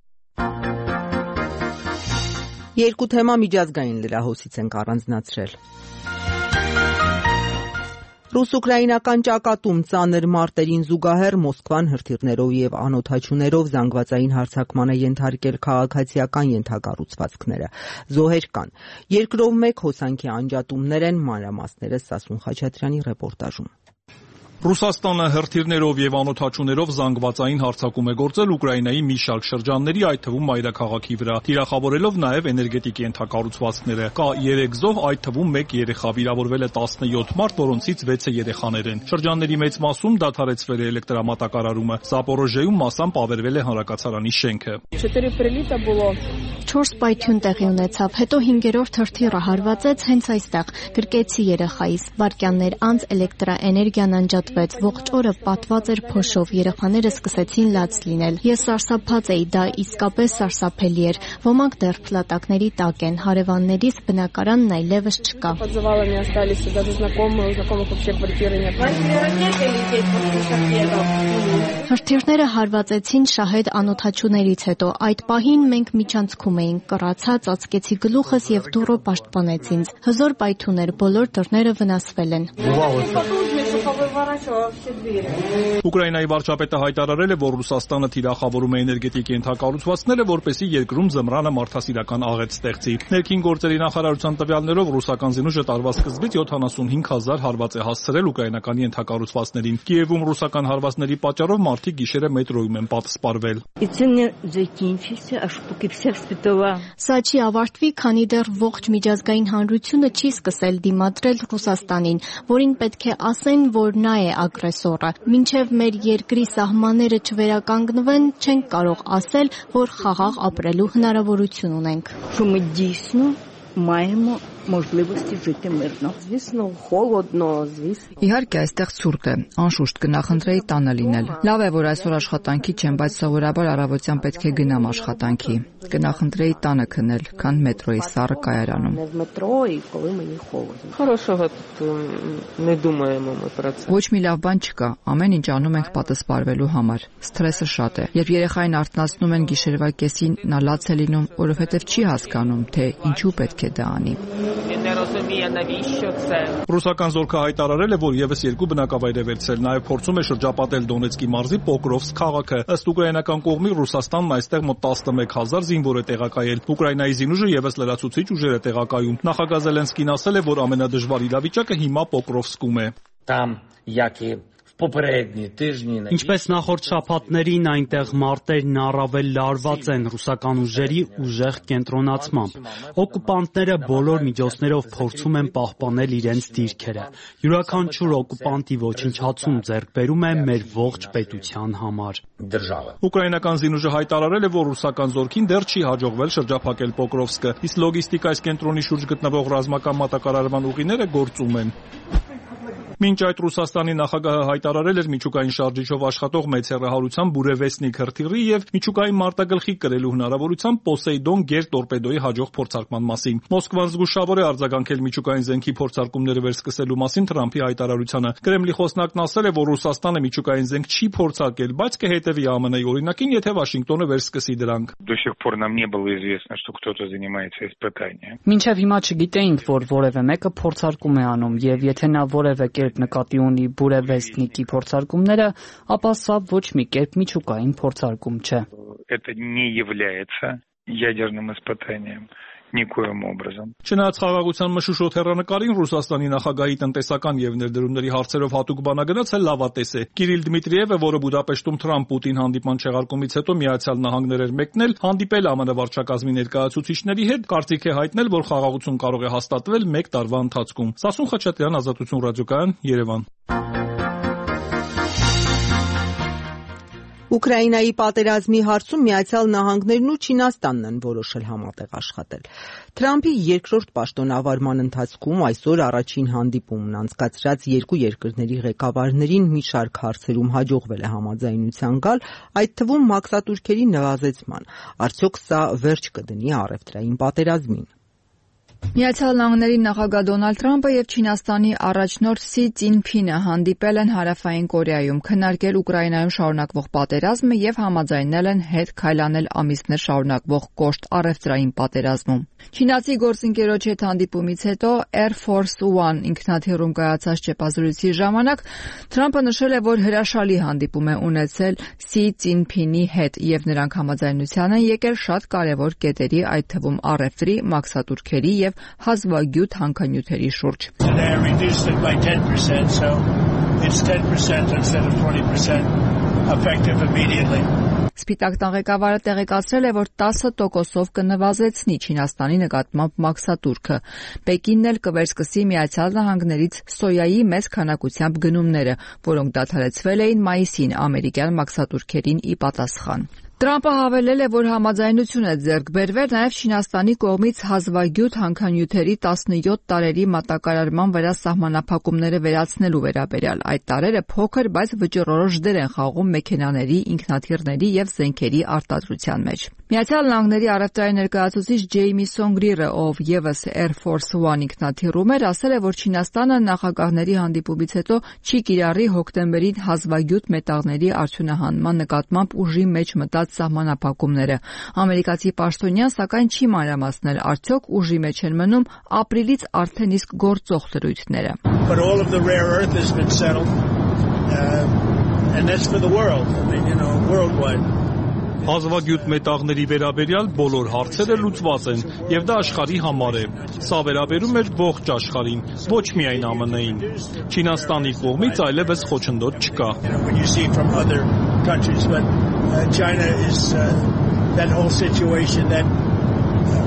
Երկու թեմա միջազգային լրահոսից ենք առանձնացրել։ Ռուս-ուկրաինական ճակատում ծանր մարտերին զուգահեռ Մոսկվան հրթիռներով եւ անօդաչուներով զանգվածային հարձակման է ենթարկել քաղաքացիական ենթակառուցվածքները։ Զոհեր կան։ Երկրով մեկ հոսանքի անջատումներ են, մանրամասները Սասուն Խաչատրյանի ռեպորտաժում։ Ռուսաստանը հրթիռներով եւ անօդաչուներով զանգվածային հարձակում է գործել Ուկրաինայի մի շարք շրջանների, այդ թվում մայրաքաղաքի վրա, թիրախավորելով նաեւ էներգետիկ ենթակառուցվածքները։ Կա երեք զոհ, այդ թվում մեկ երեխա, վիրավորվել է տասնյոթ մարդ, որոնցից վեցը երեխաներ են։ Շրջանների մեծ մասում դադարեցվել է էլեկտրամատակարարումը, Զապորոժիեում մասամբ ավերվել է հանրակացարանի շենքը։ Չորս պայթյուն տեղի ունեցավ, հետո հինգերորդ հրթիռը հարվածեց հենց այստեղ, գրկեցի երեխայիս։ Վայրկյաններ անց էլեկտրաէներգիան անջատվեց, ողջ օրը պատված էր փոշով, երեխաները սկսեցին լաց լինել։ Ես սարսափած էի, դա իսկապես սարսափելի էր։ Ոմանք դեռ փլատակների տակ են, հարևաններիս բնակարանն այլևս չկա։ Հրթիռները հարվածեցին շահեդ անօդաչուներից հետո, այդ պահին մենք միջանցքում էինք, կռացա, ծածկեցի գլուխս եւ դուռը պաշտպանեց ինձ։ Հզոր պայթուն էր, բոլոր դռները վնասվել են։ Ուկրաինայի վարչապետը հայտարարել է, որ Ռուսաստանը թիրախավորում է էներգետիկ ենթակառուցվածքները, որպեսզի երկրում զմռանը մարդասիրական աղետ ստեղծի։ Ներքին գործերի նախարարության տվյալներով ռուսական զինուժը տարվա սկզբից յոթանասունհինգ հազար հարված է հասցրել ուկրաինական ենթակառուցվածքներին։ Կիևում ռուսական հարվածների պատճառով մարդիկ գիշերը մետրոյում են պատսպարվել։ Սա չի ավարտվի, քանի դեռ ողջ միջազգային հանրությունը չի սկսել դիմադրել Ռուսաստանին, որին պետք է ասեն, որ նա է ագրեսորը։ Մինչև մեր երկրի սահմանները չվերականգնվեն, չենք կարող ասել, որ խաղաղ ապրելու հնարավորություն ունենք։ Маємо можливості жити мирно. Звісно, холодно, звісно. Իհարկե, այստեղ ցուրտ է, անշուշտ կնախընտրեի տանը լինել։ Լավ է, որ այսօր աշխատանքի չեմ, բայց սովորաբար առավոտյան պետք է գնամ աշխատանքի։ Կնախընտրեի տանը քնել, քան մետրոյի սառը կայարանում։ Не в метро і коли мені холодно. Хорошого тут не думаємо ми про це. Ոչ մի լավ բան չկա, ամեն ինչ անում ենք պատասպարվելու համար։ Սթրեսը շատ է։ Երբ երեխային արթնացնում են գիշերվա կեսին, նա լաց է լինում, որովհետև չի հասկանում, թե ինչու պետք է դա անի։ Ռուսական զորքը հայտարարել է, որ եւս երկու բնակավայր է վերցրել, նաեւ փորձում է շրջապատել Դոնեցկի մարզի Պոկրովսկ քաղաքը։ Ըստ ուկրաինական կողմի Ռուսաստանն այստեղ մոտ տասնմեկ հազար զինվոր է տեղակայել։ Ուկրաինայի զինուժը եւս լրացուցիչ ուժեր է տեղակայում։ Նախագահ Զելենսկին ասել է, որ ամենադժվար իրավիճակը հիմա Պոկրովսկում է։ Там, як і в Ինչպես նախորդ շաբաթներին, այնտեղ մարտերն առավել լարված են ռուսական ուժերի ուժեղ կենտրոնացմամբ։ Օկուպանտները բոլոր միջոցներով փորձում են պահպանել իրենց դիրքերը։ Յուրաքանչյուր օկուպանտի ոչնչացում ձեռք բերում է մեր ողջ պետության համար։ Ուկրաինական զինուժը հայտարարել է, որ ռուսական զորքին դեռ չի հաջողվել շրջափակել Պոկրովսկը, իսկ լոգիստիկ այս կենտրոնի շուրջ գտնվող ռազմական մատակարարման ուղիները գործում են։ Մինչ այդ Ռուսաստանի նախագահը հայտարարել էր միջուկային շարժիչով աշխատող մեծ հեռահարության Բուրևեսնիկ հրթիռի եւ միջուկային մարտագլխի կրելու հնարավորությամբ Պոսեյդոն գերտորպեդոյի հաջող փորձարկման մասին։ Մոսկվան զգուշավոր է արձագանքել միջուկային զենքի փորձարկումները վերսկսելու մասին Թրամփի հայտարարությանը։ Կրեմլի խոսնակն ասել է, որ Ռուսաստանը միջուկային զենք չի փորձարկել, բայց կհետևի ԱՄՆ-ի օրինակին, եթե Վաշինգտոնը վերսկսի դրանք։ Մինչև հիմա չգիտեինք, որ որևէ մեկը փորձարկում է անում, եւ եթե նա որևէ կերպ նկատի ունի Բուրևեսնիկի փորձարկումները, ապա սա ոչ մի կերպ միջուկային փորձարկում չէ։ Չնայած խաղաղության մշուշոտ հեռանկարին Ռուսաստանի նախագահի տնտեսական եւ ներդրումների հարցերով հատուկ բանագնացը լավատես է։ Կիրիլ Դմիտրիևը, որը Բուդապեշտում Թրամփ-Պուտին հանդիպման չեղարկումից հետո Միացյալ Նահանգներ էր մեկնել, հանդիպել ԱՄՆ վարչակազմի ներկայացուցիչների հետ, կարծիք է հայտնել, որ խաղաղություն կարող է հաստատվել մեկ տարվա ընթացքում։ Սասուն Խաչատրյան, Ազատություն ռադիոկայան, Երևան։ Ուկրաինայի պատերազմի հարցում Միացյալ Նահանգներն ու Չինաստանն են որոշել համատեղ աշխատել։ Թրամփի երկրորդ պաշտոնավարման ընթացքում այսօր առաջին հանդիպումն անցկացրած երկու երկրների ղեկավարներին մի շարք հարցերում հաջողվել է համաձայնության գալ, այդ թվում մաքսատուրքերի նվազեցման։ Արդյոք սա վերջ կդնի առևտրային պատերազմին։ Միացյալ Նահանգների նախագահ Դոնալդ Թրամփը եւ Չինաստանի առաջնորդ Սի Ցզինփինը հանդիպել են Հարավային Կորեայում, քննարկել Ուկրաինայում շարունակվող պատերազմը եւ համաձայնել են հետ քայլանել ամիսներ շարունակվող կոշտ առևտրային պատերազմում։ Չինացի գործընկերոջ հետ հանդիպումից հետո Air Force One ինքնաթիռում կայացած ճեպազրույցի ժամանակ Թրամփը նշել է, որ հրաշալի հանդիպում է ունեցել Սի Ցզինփինի հետ եւ նրանք համաձայնության են եկել շատ կարեւոր կետերի, այդ թվում առևտրի, մաքսատուրքերի եւ հազվագյուտ հանքանյութերի շուրջ։ Սպիտակ տան ղեկավարը տեղեկացրել է, որ տասը տոկոսով կնվազեցնի Չինաստանի նկատմամբ մաքսատուրքը։ Պեկինն էլ կվերսկսի Միացյալ Նահանգներից սոյայի մեծ քանակությամբ գնումները, որոնք դադարեցվել էին մայիսին ամերիկյան մաքսատուրքերին ի պատասխան։ Թրամփը հավելել է, որ համաձայնություն է ձեռք բերվել նաև Չինաստանի կողմից հազվագյուտ հանքանյութերի տասնյոթ տարերի մատակարարման վրա սահմանափակումները վերացնելու վերաբերյալ։ Այդ տարերը փոքր, բայց վճռորոշ դեր են խաղում մեքենաների, ինքնաթիռների եւ զենքերի արտադրության մեջ։ Միացյալ Նահանգների առևտրային ներկայացուցիչ Ջեյմի Սոնգրիրը, ով եւս Air Force One ինքնաթիռում էր, ասել է, որ Չինաստանը նախագահների հանդիպումից հետո չի կիրառի հոկտեմբերին հազվագյուտ մետաղների արդյունահանման նկատմամբ ուժի մեջ մտած սահմանափակումները։ Ամերիկացի պաշտոնյան սակայն չի մանրամասնել, արդյոք ուժի մեջ են մնում ապրիլից արդեն իսկ գործող դրույթները։ Հազվագյուտ մետաղների վերաբերյալ բոլոր հարցերը լուծված են, եւ դա աշխարհի համար է։ Սա վերաբերում էր ողջ աշխարհին, ոչ միայն ԱՄՆ-ին։ Չինաստանի կողմից այլևս խոչընդոտ չկա։ China is uh, that whole situation, that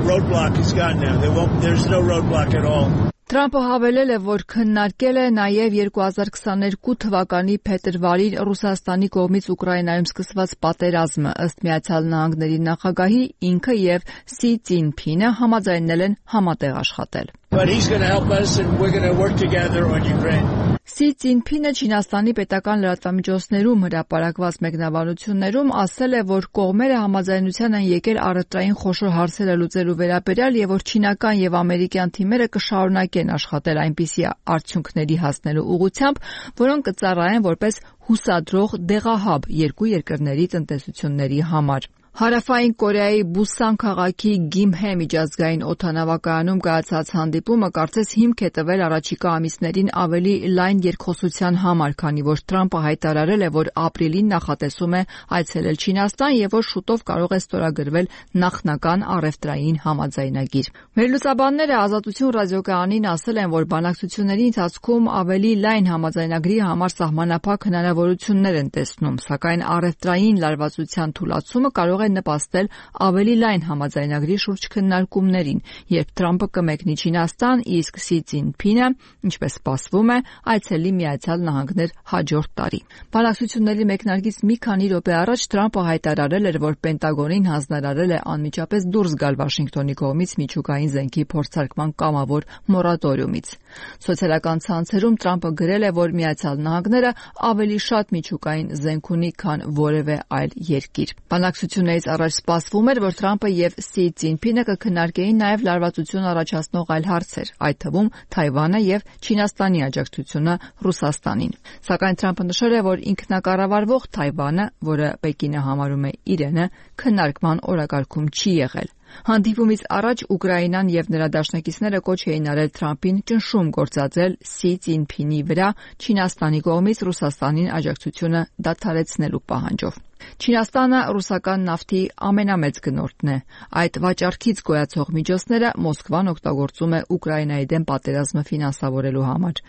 roadblock is gone now. There won't, there's no roadblock at all. Թրամփը հավելել է, որ քննարկել է նաև երկու հազար քսաներկու թվականի փետրվարին Ռուսաստանի կողմից Ուկրաինայում սկսված պատերազմը, ըստ Միացյալ Նահանգների նախագահի, ինքը եւ Սի Ցզինփինը համաձայնել են համատեղ աշխատել։ But he's going to help us and we're going to work together on Ukraine. Սի Ցզինփինը Չինաստանի պետական լրատվամիջոցներում հրապարակված մեկնաբանություններում ասել է, որ կողմերը համաձայնության են եկել առևտրային խոշոր հարցերը լուծելու վերաբերյալ եւ որ չինական եւ ամերիկյան թիմերը կշարունակեն աշխատել այնպիսի արդյունքների հասնելու ուղղությամբ, որոնք կծառայեն որպես հուսադրող դեղահաբ երկու երկրների տնտեսությունների համար։ Հարավային Կորեայի Բուսան քաղաքի Գիմհե միջազգային օդանավակայանում կայացած հանդիպումը կարծես հիմք է տվել առաջիկա ամիսներին ավելի լայն երկխոսության համար, քանի որ Թրամփը հայտարարել է, որ ապրիլին նախատեսում է այցելել Չինաստան եւ որ շուտով կարող է ստորագրվել նախնական առևտրային համաձայնագիր։ Վերլուծաբանները Ազատություն ռադիոկայանին ասել են, որ բանակցությունների ընթացքում ավելի լայն համաձայնագրի համար սահմանափակ հնարավորություններ են տեսնում, սակայն առևտրային լարվածության թուլացումը կարող է նպաստել ավելի լայն համաձայնագրի շուրջ քննարկումներին, երբ Թրամփը կմեկնի Չինաստան, իսկ Սի Ցզինփինը, ինչպես սպասվում է, այցելի Միացյալ Նահանգներ հաջորդ տարի։ Բանակցությունների մեկնարկից մի քանի րոպե առաջ Թրամփը հայտարարել էր, որ Պենտագոնին հանձնարարել է անմիջապես դուրս գալ Վաշինգտոնի կողմից միջուկային զենքի փորձարկման կամավոր մորատորիումից։ Սոցիալական ցանցերում Թրամփը գրել է, որ Միացյալ Նահանգները ավելի շատ միջուկային զենք ունի, քան որևէ այլ երկիր։ Բանակցություններից առաջ սպասվում էր, որ Թրամփը եւ Սի Ցզինփինը կքննարկեին նաև լարվածություն առաջացնող այլ հարցեր, այդ թվում Թայվանը եւ Չինաստանի աջակցությունը Ռուսաստանին։ Սակայն Թրամփը նշել է, որ ինքնակառավարվող Թայվանը, որը Պեկինը համարում է իրենը, քննարկման օրակարգում չի եղել։ Հանդիպումից առաջ Ուկրաինան եւ նրա դաշնակիցները կոչ էին արել Թրամփին ճնշում գործադրել Սի Ցզինփինի վրա Չինաստանի կողմից Ռուսաստանին աջակցությունը դադարեցնելու պահանջով։ Չինաստանը ռուսական նավթի ամենամեծ գնորդն է։ Այդ վաճառքից գոյացող միջոցները Մոսկվան օգտագործում է Ուկրաինայի դեմ պատերազմը ֆինանսավորելու համար։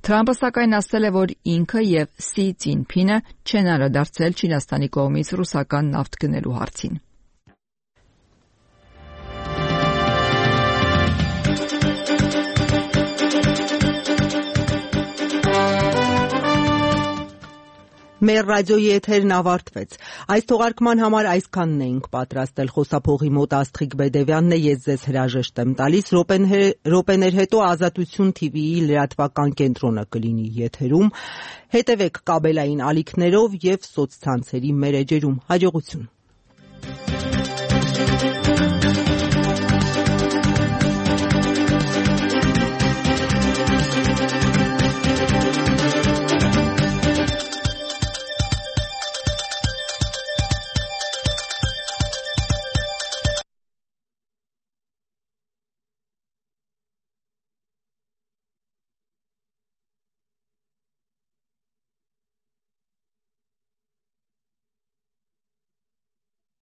Թրամփը սակայն ասել է, որ ինքը եւ Սի Ցզինփինը չեն անդրադարձել Չինաստանի կողմից ռուսական նավթ գնելու հարցին։ Մեր ռադիոյի եթերն ավարտվեց։ Այս թողարկման համար այսքանն էինք պատրաստել։ Խոսափողի մոտ Աստղիկ Բեդևյանն է, ես ձեզ հրաժեշտ եմ տալիս։ Րոպեներ հետո Ազատություն թիվիի լրատվական կենտրոնը կլինի եթերում։ Հետևեք կաբելային ալիքներով եւ սոցցանցերի մեր էջերում։ Հաջողություն։